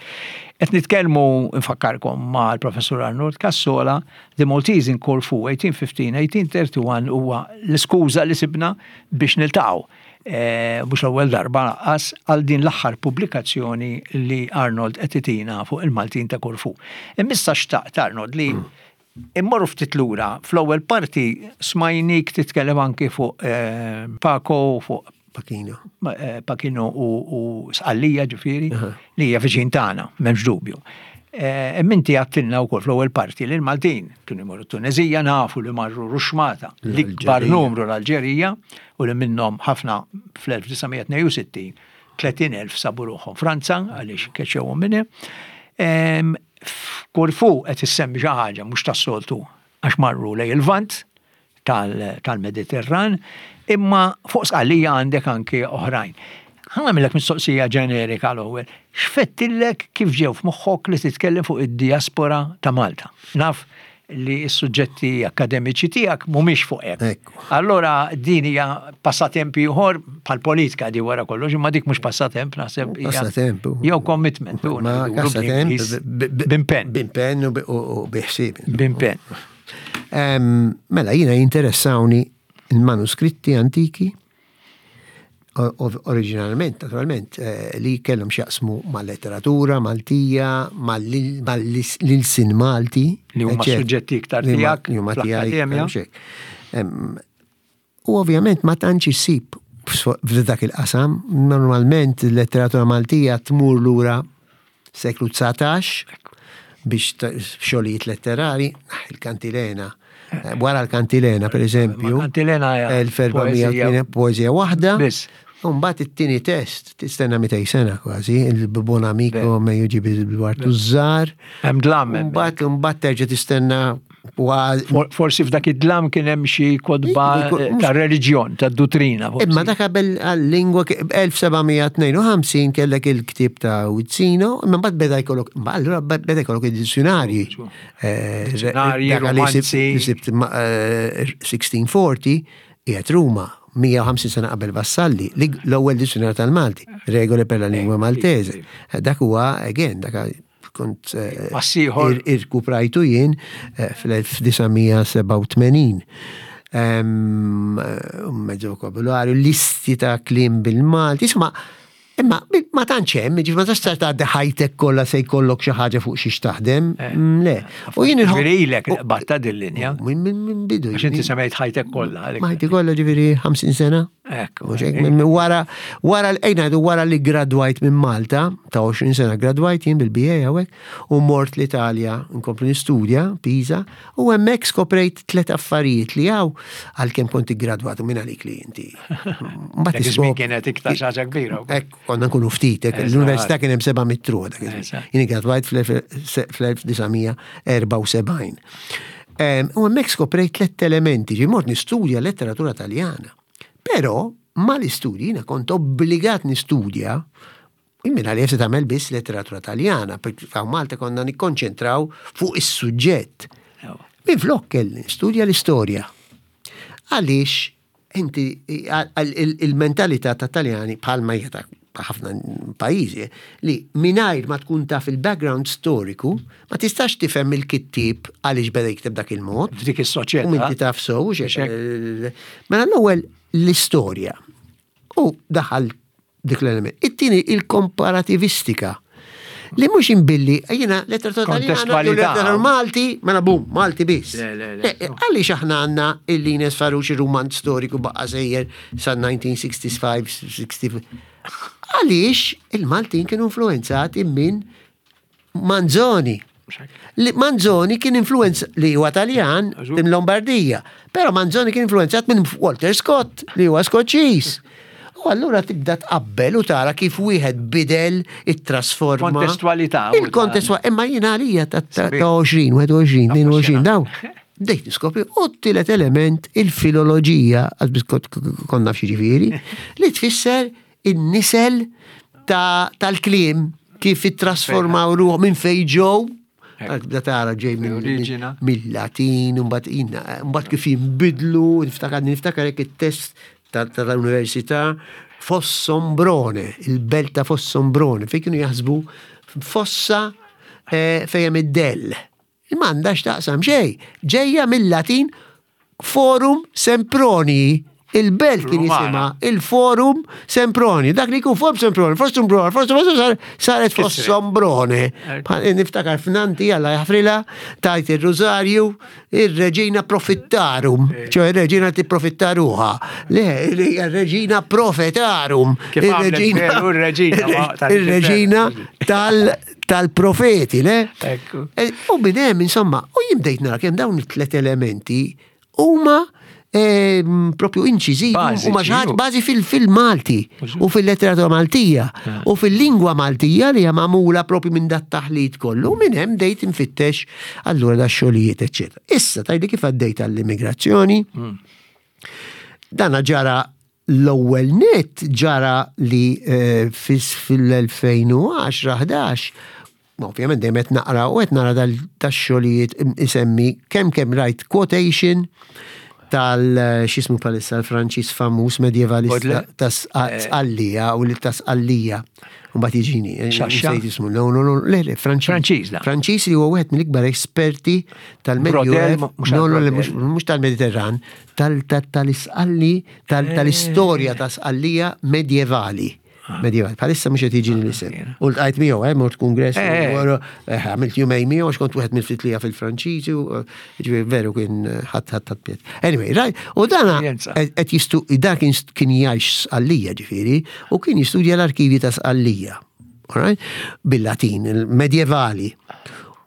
Qed nitkellmu nfakkarkom ma' l-Professur Arnold Cassola, The Maltese in Corfu 1815-1831 huwa l-iskuża li sibna biex niltaqgħu. Eh, mhux l-ewwel darba lanqas għal din l-aħħar pubblikazzjoni li Arnold qed itina fuq il-Maltin ta' Korfu. Imma xtaqt Arnold li immorru ftit lura fl-ewwel parti smajnik titkellem anki fuq eh, Paco fuq Pachino. Eh, Pachino u Sqallija ġifieri li hija viċin tagħna, m'hemmx dubju. Eh, Minti għattilna u fl-ewwel parti li l-Maltin kienu jmorru Tunezija nafu li marru Ruxmata, l-ikbar numru l-Alġerija u li minnhom ħafna fl-1962 30,000 sabu ruħhom Franza għaliex keċċewhom minn hemm. F'Korfu qed issemmi xi ħaġa mhux tas-soltu għax marru lejn il-Lvant tal-Mediterran, imma fuq Sqallija għandek anki oħrajn. Ħa nagħmillek mistoqsija ġenerika l-ewwel. X'fettillek kif ġew f'moħħok li titkellem fuq id-diaspora ta' Malta? Naf li s-suġġetti akkademiċi tiegħek mhumiex fuq hekk. Allora din hija passatemp ieħor bħal politika di wara kollox, imma dik mhux passatemp naħseb. Passatemp. Jew commitment. Ma passatemp. B'impenn. B'impenn u biħsieb. B'impenn. Mela jiena jinteressawni il-manuskritti antiki oriġinalment, naturalment, eh, li kellhom x'jaqsmu mal-letteratura Maltija, mal-ilsin Malti. Li huma suġġetti iktar tiegħek. Li huma tiegħek. U ovvjament ma tantx issib f'dak il-qasam, normalment il-letteratura Maltija tmur lura seklu 19 biex xogħlijiet letterari, ah, il-kantilena. Eh, wara l-kantilena, per eżempju. Kantilena 1408 poezija waħda. Biss. Mbagħad it-tieni test tistenna 200 sena kważi, il-bon amico me jiġi bil-wartu żgħar. Hemm dlam. Mbagħad mbagħad terġa' tistenna Forsi f'dak id-dlam kien hemm xi kotba eh, ta' reliġjon, ta' duttrina. Imma dak qabel għal-lingwa 1752 kellek il-ktieb ta' Uzzino, imma mbagħad beda jkollok, allura beda jkollok id-dizzjonarji. Eh, dizzjonarji, romanzi. 1640 eh, qiegħed Ruma 150 sena qabel Vassalli, l-ewwel dizzjonarju tal-Malti, Regole per la lingua maltese. Dak huwa again, dak kont eh, irkuprajtu jien eh, fl-1987. Eh, mezz vokabularju, listi ta' klim bil-Malti, insomma, imma ma tantx hemm, ġifieri ma tistax tgħaddi ħajtek kollha se jkollok xi ħaġa fuq xiex taħdem, mm, le. U jien Ġifieri ilek batta din linja. Minn bidu. Għax inti semmejt ħajtek kollha. Ħajti kollha ġifieri 50 sena. Wara, wara, ejna wara li gradwajt minn Malta, ta' 20 sena gradwajt jien bil-BA hawnhekk, u mort l-Italja nkompli nistudja, Pisa, u hemmhekk skoprejt tliet affarijiet li hawn għalkemm kont iggradwat u minn għalik li inti. Mbagħad iż-żmien kienet iktar xi ħaġa kbira. Hekk konna nkunu ftit, l-università kien hemm seba' mitru dak Jien gradwajt fl-1974. U hemmhekk skoprejt tliet elementi, ġi mort nistudja letteratura Taljana. Però mal-istudji jiena kont obbligat nistudja minn għalija se tagħmel biss letteratura Taljana, perché Malta konna nikkonċentraw fuq is-suġġett. Minflok kelli nistudja l-istorja. Għaliex inti il-mentalità ta' Taljani bħalma hija ta' ħafna pajjiżi, li mingħajr ma tkun taf il-background storiku, ma tistax tifhem il-kittieb għaliex beda jikteb dak il-mod. F'dik is-soċjetà. U minti taf sew, mela l-ewwel l-istorja. U daħal dik l-element. It-tieni il-komparativistika. Li mhux imbilli, jiena letteratura taljana, letteratura Malti, mela bum, Malti biss. Għaliex aħna għandna il-Lines Farrugia romanz storiku baqa' sejjer sa 1965, 60. Għaliex il-Maltin kienu influenzati minn Manzoni. Li Manzoni kien influenz li huwa Taljan minn Lombardija, però Manzoni kien influenzat minn Walter Scott li huwa Skoċċiż. U allura tibda tqabbel u tara kif wieħed bidel it-trasforma. Kontestwalità. Il-kontestwalità, imma jiena għalija ta' 20, 21, 22 daw. Bdejt niskopri u t-tielet element il-filoloġija, għazbis konna f'xi ġifieri, li tfisser in-nisel tal-kliem kif ittrasformaw ruħ minn fejn ġew. Tibda tara ġej mill-Latin, mbagħad kif jinbidlu, niftakar niftakar hekk it-test tal-università Fossombrone, il-belt ta' Fossombrone, fejn kienu jaħsbu fossa eh, fejn hemm id-dell. M'għandha x'taqsam xejn. Ġejja mill-Latin Forum Sempronii. Il-belt kien jisimha il-Forum Semproni. Dak li jkun Forum Semproni, Fossombrone, Fossombrone saret Fossombrone. Niftakar f'nanti għalla jaħfrilha tajt ir-Rużarju, ir-Reġina Profittarum, ċoe ir-Reġina tipprofittaruha. Le, ir-Reġina Profetarum. Ir-Reġina tal tal-profeti, le? Ekku. E, u minn hemm, insomma, u jien bdejt nara kemm dawn it-tlet elementi huma e, propju inċiżivi u ma xi bażi fil-Malti u fil-letteratura Maltija u fil-lingwa Maltija li hija magħmula propju minn dat taħlit kollu minn hemm bdejt infittex allura da xogħlijiet eċċetera. Issa tajli kif għaddejt għall-immigrazzjoni. Hmm. Dana ġara L-ewwel nett ġara li eh, fil-2010-11 ovvjament dejjem qed naqra u qed nara dax-xogħlijiet isemmi kemm kemm rajt quotation tal eh, x'ismu palissa l-Franċiż famuż medjevalista ta' eh. Sqallija u li ta' Sqallija. Mbagħad jiġini. Xaxxa. Ismu, no, no, no, le, le, Franċiż. Franċiż, da. Franċiż li huwa wieħed mill-ikbar esperti tal-Medjuev. No, no, le, mhux tal-Mediterran, tal-Isqalli, tal-istorja ta' Sqallija medjevali. Ah. Medjevali. Bħalissa mhux qed jiġini l-isem. Ah, u ltqajt miegħu, eh, mort kongress, eh, eh. eh, għamilt jumej miegħu għax kont wieħed mill-ftit li fil-Franċiżi, ġifieri veru kien ħadd ħadd ħadd Anyway, right, u dana qed jistu dan kien kien jgħix Sqallija ġifieri u kien jistudja l-arkivji ta' Sqallija. Alright? Bil-Latin, il-medjevali.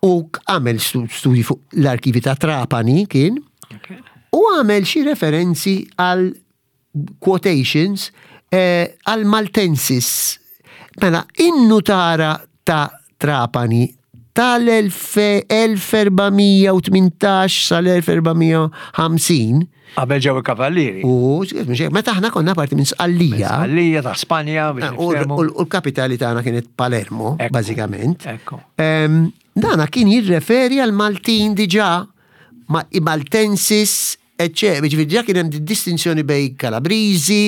U għamel studji fuq l-arkivi ta' Trapani kien, u għamel xi referenzi għal quotations eh, għal Maltensis. Mela, in-nutara ta' Trapani tal-1418 sal-1450 Qabel ġew il-kavallieri. U meta aħna konna parti minn Sqallija. Sqallija ta' Spanja biex eh, U l-kapitali tagħna kienet Palermo, bażikament. Dana kien jirreferi għal Maltin diġà ma' Maltensis, eċċetera. Ġifieri diġà kien hemm distinzjoni bejn Kalabriżi,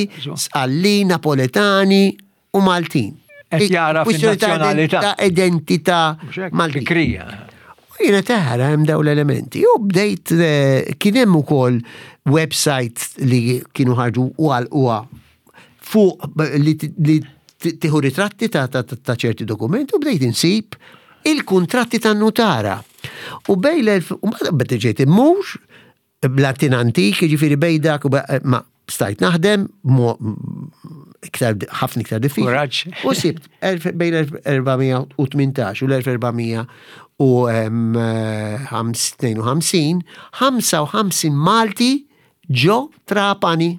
Sqallin, Napoletani u Maltin. Qed jara fin-nazzjonalità. Ta' identità Maltin. Bikrija. U jiena taħra hemm dawn l-elementi. U bdejt eh, kien hemm ukoll website li kienu ħarġu u għalquha fuq li tieħu ritratti ta' ċerti dokumenti u bdejt insib il-kuntratti tan-nutara. U bej l-elf, u mbagħad ġejt immur Bl-Latin antik, jiġifieri bejn dak u ma stajt naħdem iktar ħafna iktar diffiċli. Kuraġġ. U sibt bejn l-1418 u l-1452, 55 Malti ġo Trapani.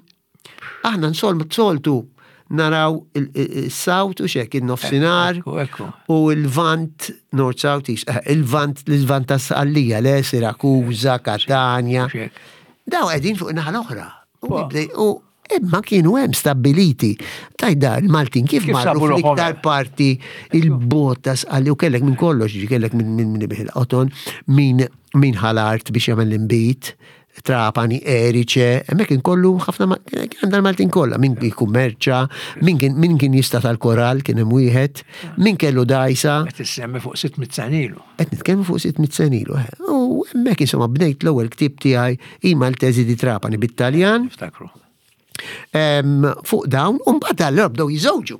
Aħna nsoltu naraw il-South u xek, il-nofsinar u il-Vant, North South East, eh, il-Vant, l-Vant ta' Sqallija, le, Sirakuza, Katania. Daw qegħdin fuq naħa l-oħra. U imma kienu hemm stabiliti. Tajda il-Maltin kif marru fl-iktar parti il-bot ta' Sqalli u kellek minn kollox, kellek minn minn il-qoton, min ħal-art biex jagħmel l-imbit. Trapani, Erice, hemmhekk kien kollu ħafna kien hemm dal-Maltin kollha, min jikkummerċa, min kien min kien jista' tal-koral kien hemm wieħed, min kellu dajsa. Qed issemmi fuq 600 sena ilu. Qed nitkellmu fuq 600 sena ilu. Eh. U hemmhekk insomma bnejt l-ewwel ktieb tiegħi I Maltesi di Trapani bit-Taljan. Niftakru. Fuq dawn, u mbagħad allura bdew jiżewġu.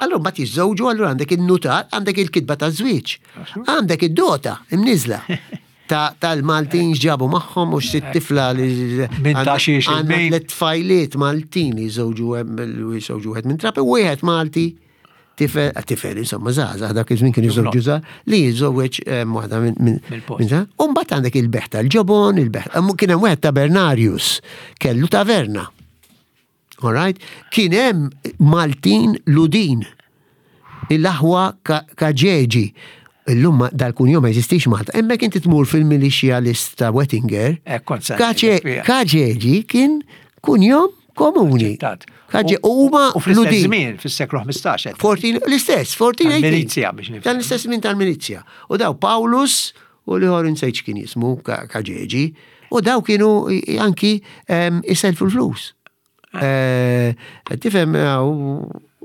Allura mbagħad jiżżewġu, allura għandek in-nutar, għandek il-kitba taż-żwieġ, għandek id-dota imniżla tal-Maltin x'ġabu magħhom u x'sitt tifla li Minn ta' xiex għandna tliet tfajliet Maltin jiżżewġu jiżżewġu wieħed minn Trapi u wieħed Malti tifel, tifel insomma żgħażagħ dak iż-żmien kien jiżżewġu żgħar li jiżżewweġ waħda minn U mbagħad għandek il-beħ tal-ġobon, il-beħ, kien hemm wieħed ta' Bernarius, kellu taverna. All right? Kien hemm Maltin Ludin, il-aħwa Kaġeġi. Illum dal-kunjom ma jeżistix Malta. Hemmhekk inti tmur fil-milixja list ta' Wettinger. Eh, Kaġeġi kien kunjom komuni. U huma U fl-istess żmien, fis-seklu 15. L-istess, 14. Tal-milizja biex nifhem. Tal-istess żmien tal-milizja. U daw Paulus u l-ieħor insejt x'kien jismu Kaġeġi. U daw kienu anki iselfu l-flus. Eh, tifhem eh,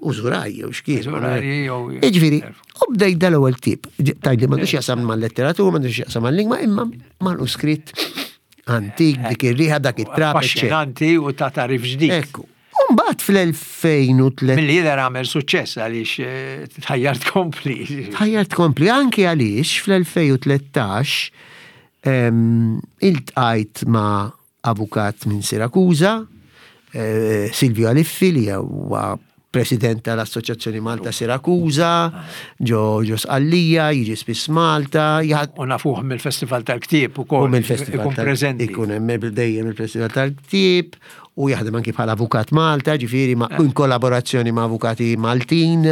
użuraj jew x'kien. Jiġifieri, u bdejt dal-ewwel ktieb. Tgħidli m'għandux jaqsam mal-letteratura, m'għandux jaqsam mal-lingwa, imma manuskritt antik, dik ir-riħa, dak it-trab. Affaxxinanti u ta' tarif ġdid. Ekku. Umbagħad fl-2003. Milli jidher għamel suċċess għaliex eh, tħajjar tkompli. Tħajjar tkompli anki għaliex fl-2013 iltqajt ma' avukat minn Sirakuża, eh, Silvio Aliffi li huwa president tal-Assoċjazzjoni Malta Sirakuża, ġo ġo Sqallija, jiġi spiss Malta. U nafuh mill-Festival tal-Ktieb ukoll. U mill-Festival ikun preżenti. Ikun hemm dejjem il-Festival tal-Ktieb u jaħdem anki bħala avukat Malta, ġifieri ma' in kollaborazzjoni ma' avukati Maltin,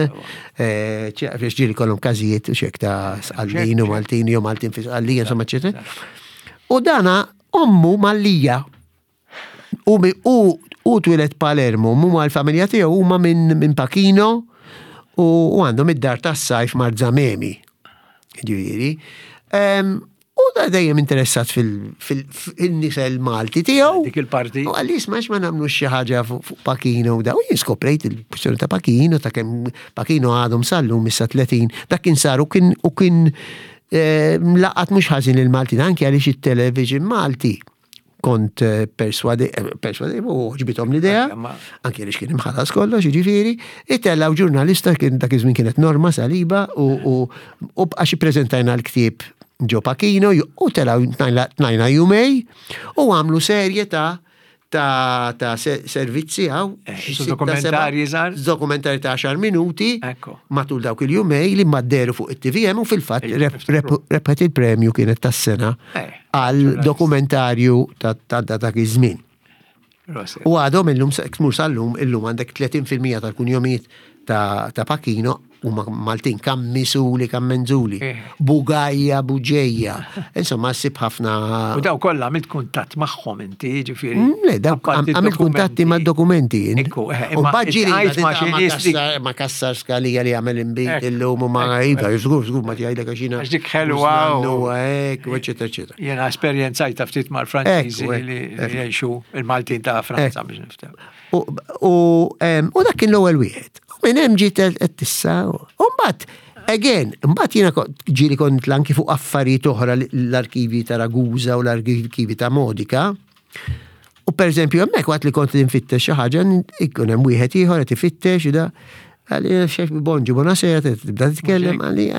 eh, ġieli kollhom każijiet u xek ta' Sqallin u Maltin jew Maltin fi Sqallija, insomma, eċetera. U dana ommu Mallija. U u u twieled Palermo, mu mal-familja tiegħu huma minn min Pachino u għandhom id-dar tas-sajf Marzamemi. Ġifieri. U da dejjem interessat fil-nisel Malti tiegħu. Dik il-parti. U għalli isma' ma nagħmlu xi ħaġa fuq Pachino u da. U jien skoprejt il-kwistjoni ta' Pachino ta' kemm Pachino għadhom sal-lum issa 30. Dak kien sar u kien u kien eh, laqat mhux ħażin il-Maltin anke għaliex it-television Malti kont eh, perswadi, eh, perswadi u ġbitom l-idea, anke li kien imħallas kollox, jiġifieri, itellaw ġurnalista kien dak iż-żmien kienet Norma Saliba u għax ippreżentajna l-ktieb ġo Pachino u telaw tnajna jumej u għamlu serje ta' ta' ta' servizzi għaw. Eh, dokumentarji żgħar. Dokumentarji ta' 10 minuti matul dawk il-jumej li madderu fuq it-TVM u fil-fatt rebħet il-premju kienet tas-sena eh, għal dokumentarju ta' dak iż-żmien. U għadhom illum tmur sal-lum illum għandek 30% tal-kunjomijiet ta' Pachino huma Maltin, Kammisuli, Kammenzuli, eh. Bugajja, Buġejja. Insomma, ssib ħafna. U daw kollha għamilt kuntatt magħhom inti, ġifieri. Mm, le, daw għamilt kuntatti mad-dokumenti. Ekku, eh, U baġġiri ma kassar skalija li għamel imbit illum u ma iva, żgur, żgur ma tgħidlek għax jiena. Għax dik ħelwa. Hekk, eċetera, eċetera. Jiena esperjenzajta ftit mal-Franċiżi li jgħixu il-Maltin ta' Franza biex niftem. U dak kien l-ewwel wieħed. U minn hemm ġiet qed tissa. U mbagħad Again, mbagħad jiena ġieli kont anki fuq affarijiet oħra l-arkivi ta' Ragusa u l-arkivi ta' Modica. U per eżempju, hemmhekk waqt li kont nfittex xi ħaġa, ikun hemm wieħed ieħor qed ifittex da. Għalli, xef bonġu, buonasera, tibda titkellem, għalli,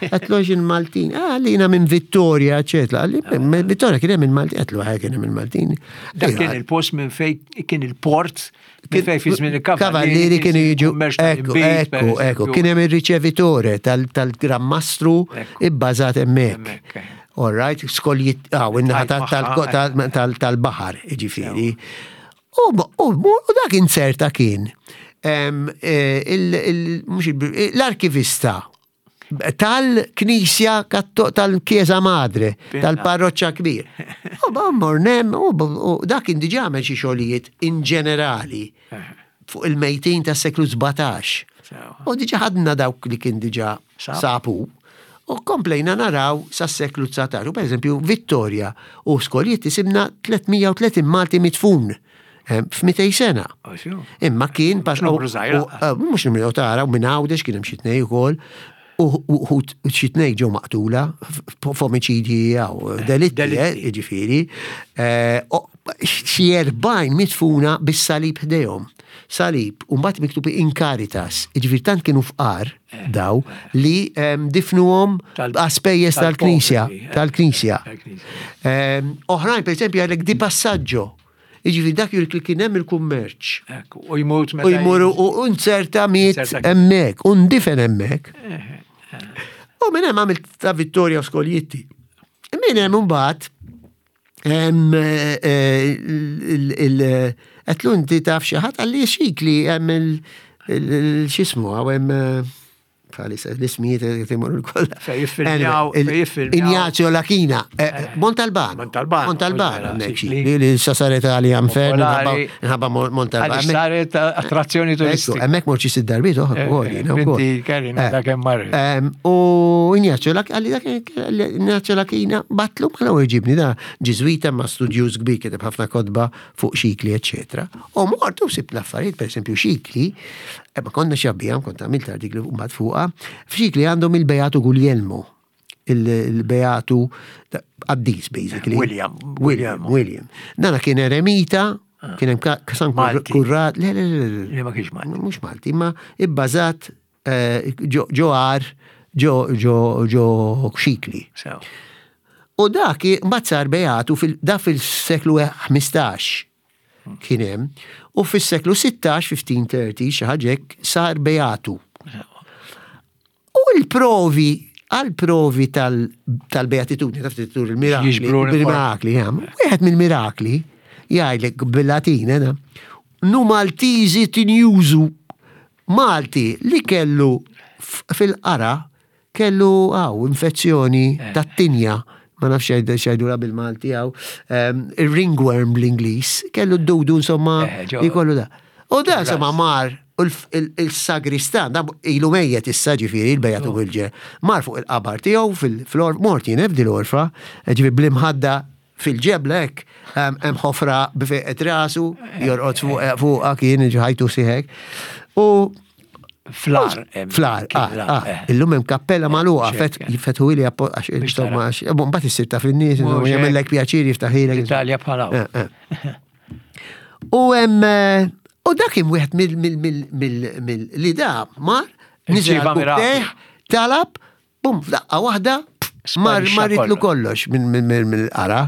għatlu il-Maltin, għalli jina minn Vittoria, eccetera. Għalli, minn Vittoria kien hemm il-Maltin, għatlu għaj kien hemm il-Maltin. Dak kien il-post minn fej kien il-port, minn fej fi żmien il-kavallieri kienu jiġu. Ekku, ekku, ekku, kien hemm il-riċevitore tal-Gran Mastru ibbażat hemmhekk. Eh. All right, skoljiet, għaw, in-naħa tal-baħar, ġifieri. U dak inzerta kien eh, l-arkivista tal-Knisja tal-Chiesa Madre, tal-parroċċa kbir. U mornem, u dak kien diġà għamel xi xogħlijiet in ġenerali eh. fuq il-mejtin tas-seklu 17. U diġà ħadna dawk li kien diġà sabu. U komplejna naraw sas-seklu 19. U per eżempju, Vittoria u Skoljitti sibna 330 Malti mitfun eh, f'200 sena. Imma kien pas eh, mhux numru tara u minn Għawdex kien hemm xi tnej ukoll u xi tnej ġew maqtula f'omiċidji jew eh, delitti, jiġifieri. Xi 40 mitfuna bis-salib ħdejhom. Salib, u mbagħad miktub in caritas, jiġifieri tant kienu fqar eh. daw li difnuhom għaspejjeż tal-Knisja, eh. tal-Knisja. Oħrajn, per eżempju, għalek di passaggio. Jiġifieri dak li kien hemm il-kummerċ. U jmut meta. U jmur u nzerta miet hemmhekk, u ndifen hemmhekk. Eh, u minn hemm għamilt ta' Vittoria Skoljitti. Minn hemm imbagħad Għetlu inti taf xi ħadd għalli xik li hemm il-xismu għaw hemm bħalissa l-ismijiet qed imorru kollha. Fejn jiffilmjaw. Ignazio Lachina, eh, eh, Montalbano. Montalbano. Montalbano, li sa saret għalija nfern, nħabba Montalbano. Għaliex saret attrazzjoni turistika. Hemmhekk mort xi sitt darbiet oħra wkoll. Inti Karina dak hemm marri. U Ignazio Lachina, għalli dak Ignazio Lachina batlu ma l-ewwel ġibni da Ġiżwita ma studjuż kbir kiteb ħafna kotba fuq xikli, eċetera. U mort u sibt l-affarijiet, pereżempju xikli, eh, ma konna xabbijam, kont għamilt artikli mbagħad fuqha, f'xikli għandhom il-Beatu Guglielmo, il-Beatu qaddis basically. William. William, William. Dana kien eremita, ah. kien hemm San Kurrat, le, le, le, le. Ma kienx Malti. Mhux Malti, ma ibbażat eh, ġo għar, ġo ġo ġo xikli. U dak mbagħad sar beatu da fil-seklu 15 kien hemm, u fis-seklu 16, 1530, xi ħaġa hekk, sar beatu. U l-provi għal-provi tal-beatitudni, taf tur il-mirakli, il-mirakli, wieħed mill-mirakli jgħidlek bil-Latin, eh, nu Maltizi tinjużu Malti li kellu fil-qara kellu għaw infezzjoni eh. tat-tinja ma nafx xajdura bil-Malti għaw, ehm, il-ringworm bl-Inglis, kellu d-dudu insomma, eh, jkollu da. U da insomma mar il-sagristan, da ilu mejjet issa ġifiri, il-bejatu oh. bil mar fuq il-qabar tiegħu fil-flor, mort jien f'dil orfa, ġifiri bl-imħadda fil-ġebla hekk, hemm ħofra b'fejqet rasu, jorqod fuqha kien ħajtu siħek. U Flar. Flar, ah, ah, eh. illum hemm kappella magħluqa, fetħu ili għax insomma, mbagħad issir taf in-nies, jagħmellek pjaċir jiftaħilek. Italja bħala. Eh, eh. U hemm u dak kien wieħed mill li da mar niżel talab Bum, f'daqqa waħda, mar maritlu kollox mill-qara.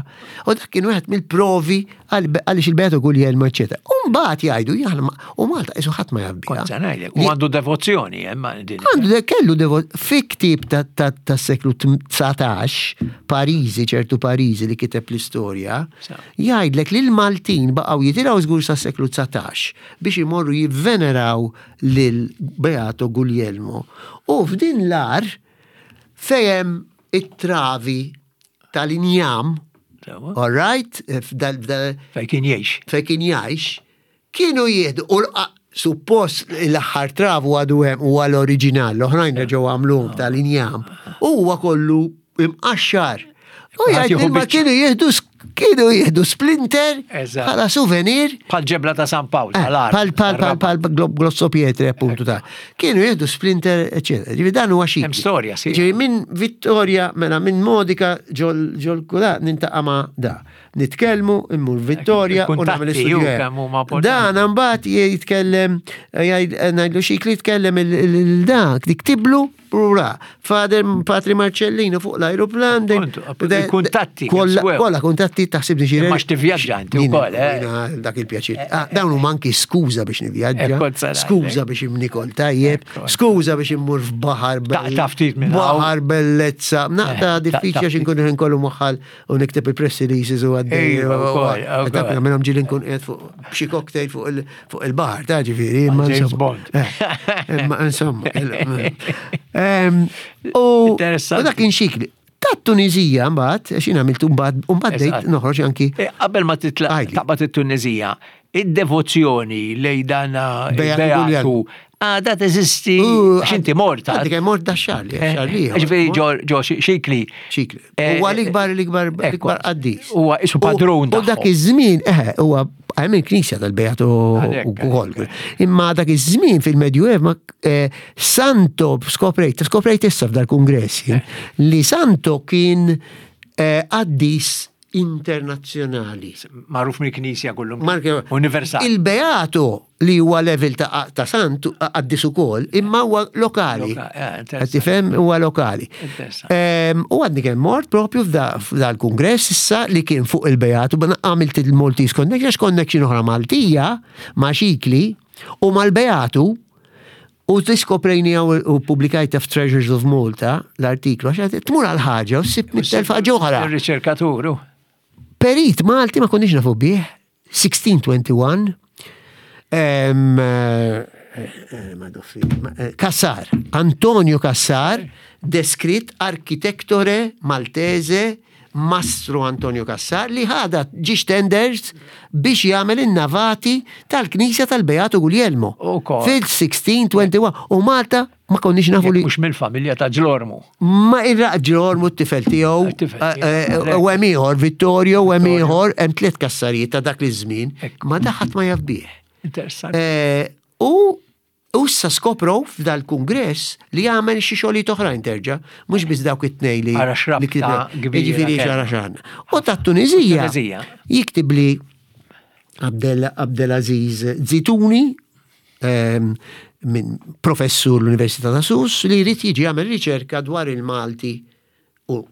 U dak kien wieħed mill-provi għaliex il-Beato Guglielmo, eċetera. U mbagħad jgħidu jaħna u Malta qisu ħadd ma jaf biha. U għandu devozzjoni, hemm eh, din. Għandu kellu devozzjoni fi ktieb tas-seklu 19, Pariżi, ċertu Pariżi li kiteb l-istorja, jgħidlek li l-Maltin baqgħu jitilgħu żgur sas-seklu 19 biex imorru jivveneraw lil Beato Guglielmo. U f'din l-ar fejem it-travi tal-injam, all right, fej kien jgħix. Fej kien jgħix, kienu jieħdu u suppost l-aħħar travu għadu hemm huwa l-oriġinal, l-oħrajn reġgħu għamluhom tal-injam, huwa kollu imqaxxar. U jgħid ma kienu jieħdu kienu jieħdu splinter bħala souvenir. Bħal ġebla ta' San Pawl, eh, Pal pal pal pal glosso pietre appuntu ta' Kienu jieħdu splinter, eccetera. Ġifi dan huwa xi. Hemm storja, sì. Ġifi minn Vittoria, mela minn Modica ġol ġol kula nintaqa' ma' da. Nitkellmu, immur Vittoria u nagħmel istudju. Dan mbagħad jitkellem eh, ngħidlu xi jitkellem il-dak, diktiblu Rura, Father Patri Marcellino fuq l-ajruplan. Kuntatti. Kolla kuntatti taħsib xi. Ma x'tivvjaġġa inti wkoll, eh? Dak il-pjaċir. Eh, ah, dawn huma anki skuża biex nivvjaġġa, skuża biex imnikol tajjeb, skuża biex immur f'baħar. Taqta' ftit minn Baħar bellezza. Naqta' diffiċli għax inkun kollu moħħal u nikteb il-press releases u għaddej. Minnhom ġieli nkun qiegħed fuq xi cocktail fuq il-baħar, ta' ġifieri. James Bond. Eh, imma insomma. U dak kien xikli. Ta' Tunizija mbagħad, għax jien għamiltu mbagħad, u mbagħad bdejt noħroġ anki. Eh, qabel ma titlaq taqbad it-Tunizija, id-devozzjoni lejn dan Beatu. Għada teżisti, għax inti mort. Għaddi kemm mort da xahar li xahar li. Ġifieri ġo xikli. Xikli. Eh, huwa l-ikbar l-ikbar l-ikbar qaddis. Huwa isu padrun. U dak iż-żmien, eħe, huwa hemm il-knisja tal-Beatu ukoll. Imma dak iż-żmien fil-Medjuev ma eh, Santo skoprejt, skoprejt issa f'dal-kungress eh. li Santo kien qaddis internazzjonali. Magħruf mill-Knisja kullum. Universali. Il-Beato li huwa level ta', ta sant qaddis ukoll, imma huwa lokali. Eh, Qed tifhem huwa lokali. Ehm, u għadni kemm mort propju f'dal-kungress issa li kien fuq il-Beato, għamilt il-Maltese Connection, għax connection oħra Maltija ma' Xikli u mal-Beatu U diskoprejni u publikajta f'Treasures of Malta l-artiklu, għax tmur għal ħaġa u ssib mittelf ħaġa oħra. Il-riċerkatur. Perit Malti ma konniex nafu bih, 1621, eh, eh, Kassar, Antonio Kassar, deskritt arkitektore Maltese Mastru Antonio Cassar li ħada ġiex tenders biex jagħmel in-navati tal-Knisja tal-Beatu Guglielmo. Fil-1621 u Malta ma konniex nafu li. Mhux mill-familja ta' Ġlormu. Ma irraq Ġlormu t-tifel tiegħu. Eh, eh, u hemm ieħor Vittorio u hemm ieħor hemm tliet kassarijiet ta' dak iż-żmien. Ma daħat ma jaf bih. Interessanti. Eh, u U issa skoprow f'dal-kungress li għamel xi xogħlijiet oħrajn terġa', mhux biss dawk it-tnejn li. Ara x'rabta kbira. Jiġifieri xara x'għandna. U tat-Tuniżija jiktib li Abdel Abdelaziz Zituni ehm, minn professur l-Università ta' Sus li jrid jiġi jagħmel riċerka dwar il-Malti U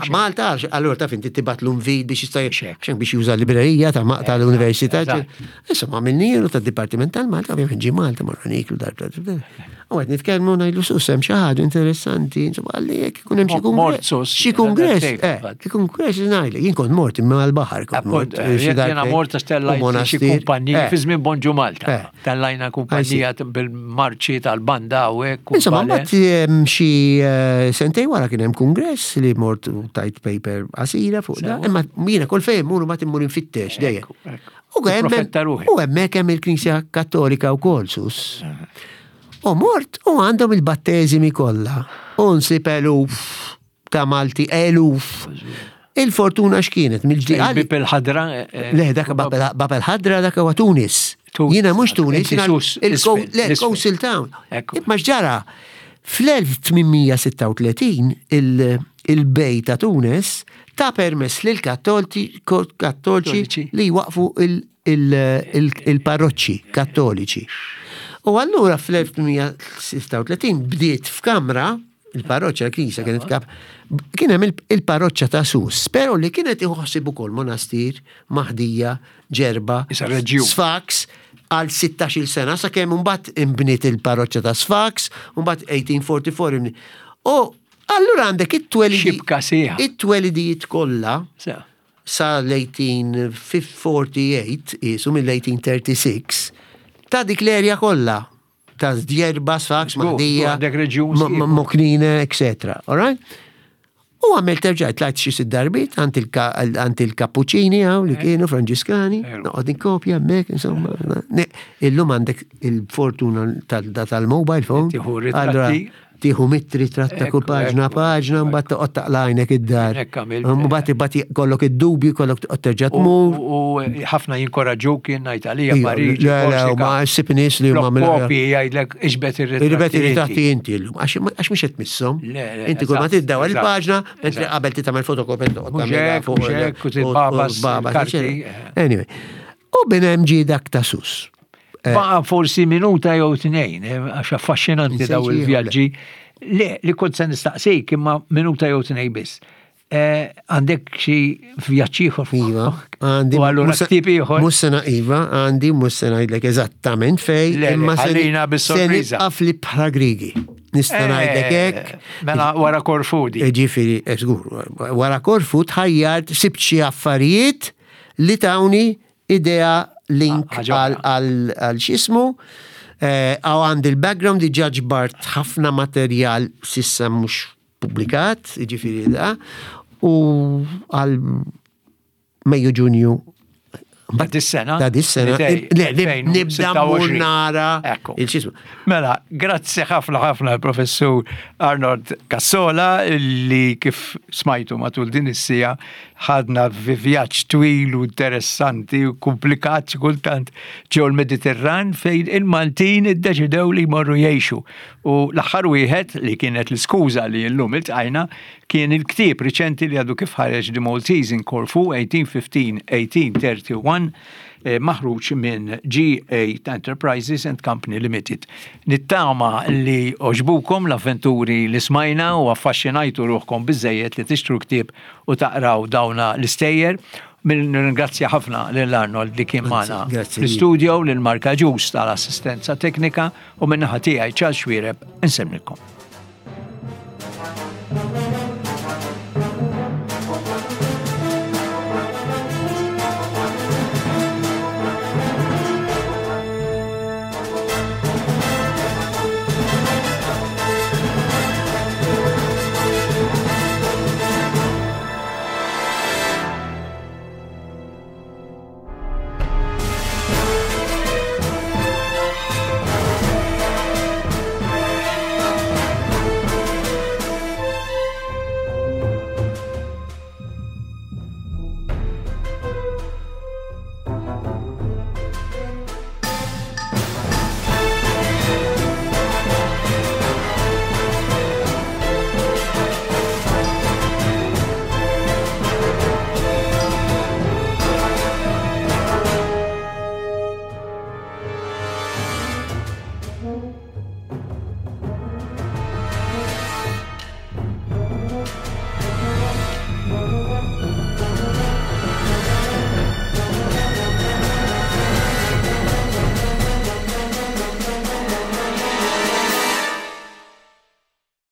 Malta, allura taf inti tibat l-unvid biex jista' xejn biex juża l-librerija tal-università. Issa ma minnielu tad-Dipartiment tal-Malta, ovvjament ġi Malta morna niklu dar. U qed nitkellmu ngħidlu sus hemm xi ħaġa interessanti, insomma qalli jekk ikun hemm xi kongress. Xi kongress, eh, kongress ngħidlek, jien kont mort imma għall-baħar kont mort. Eh, jiena mort tellajt xi kumpanija eh. fi żmien Bonġu Malta. Tellajna kumpanija bil-marċi tal-banda u hekk. Insomma, mbagħad xi eh, sentej wara kien hemm kungress li mort u tajt paper qasira fuq da, imma jiena kull fejn mur ma timmur infittex dejjem. U hemmhekk hemm il-Knisja Kattolika wkoll sus. U mort u għandhom il-batteżimi kollha. U nsib eluf ta' Malti eluf. Il-fortuna x'kienet mill-ġdid. Bib il-ħadra. Eh, eh, Le, dak Bab il-ħadra dak huwa Tunis. Jiena mhux Tunis, il-Coastal Town. Imma x'ġara? Fl-1836 il-bej ta' Tunis ta' permess lil kattoliċi li waqfu il-parroċċi kattoliċi. U allura fl-1836 bdiet f'kamra il-parroċċa, l-knisja kienet kap, kien hemm il-parroċċa ta' Sus, però li kienet iħossib ukoll monastir, Maħdija, Ġerba, Sfax, għal 16-il sena sakemm imbagħad inbniet il-parroċċa ta' Sfax, mbagħad 1844 inbniet. U allura għandek it-twelidi. It-twelidijiet kollha sa l-1848, qisu mill-1836, ta' dik l-erja kollha. ta' Djerba, Sfax, Mahdija, Moknine, etc. All right? U għamil terġajt tlajt xi sitt darbiet għand il-Kappuċini għaw li eh. kienu Franġiskani, noqgħod inkopja hemmhekk, insomma. Illum għandek il-fortuna tal-mobile phone. Tieħu mitt ritratt ta' kull paġna paġna, mbagħad toqgħod taqlajnek id-dar. Mbagħad imbagħad kollok id-dubju, kollok toqgħod terġa' tmur. U ħafna jinkoraġġuk jien ngħid għalija iva, Pariġi. Le, le, ma ssib nies li huma mill Kopji jgħidlek iġbed ir-ritratti. Iġbed ir-ritratti inti llum, għax mhux qed tmisshom. Inti kull ma tiddew il-paġna, mentri qabel titgħamel fotokopja toqgħod tagħmilha fuq. Anyway. U bin hemm ġie dak ta' sus. Eh. Baqa forsi minuta jew tnejn, eh, għax affaxxinanti daw il-vjaġġi. Le, li kont se nistaqsik imma minuta jew tnejn biss. Eh, għandek xi vjaġġ ieħor? Iva, għandi. U allura ktib ieħor? Mhux se iva, għandi mhux se ngħidlek eżattament fej, imma se ħallina bis-sorpriża. Se li bħala Grigi. Nista' ngħidlek hekk. Mela wara Korfu di. Ġifieri, żgur, wara Korfu tħajjart sibt xi affarijiet li tawni idea link għal xismu. Eh, għaw għandi l-background diġa ġbart ħafna materjal sissa mhux publikat, ġifiri da, u għal Mejju Ġunju Ta' dis-sena? Ta' dis-sena. Le, nibda mmur nara. Ekku. Mela, grazzi ħafna ħafna l-professur Arnold Cassola li kif smajtu matul din is-sija ħadna fi vjaġġ twil u interessanti u komplikat xi kultant ġew l-Mediterran fejn il-Maltin iddeċidew li jmorru jgħixu. U l-aħħar wieħed li kienet l-iskuża li llum iltqajna kien il-ktieb riċenti li għadu kif ħareġ The Maltese in Corfu 1815-1831 eh, maħruġ minn G8 Enterprises and Company Limited. Nittama li oġbukom l-avventuri li smajna u affaxxinajtu ruħkom biżejjed li tixtru ktieb u taqraw dawna l-istejjer. Nirringrazzja ħafna lil Arnold li kien magħna fl-istudio, lil Marka Ġus tal-assistenza teknika u min-naħa tiegħi Charles Xuereb insemmilkom.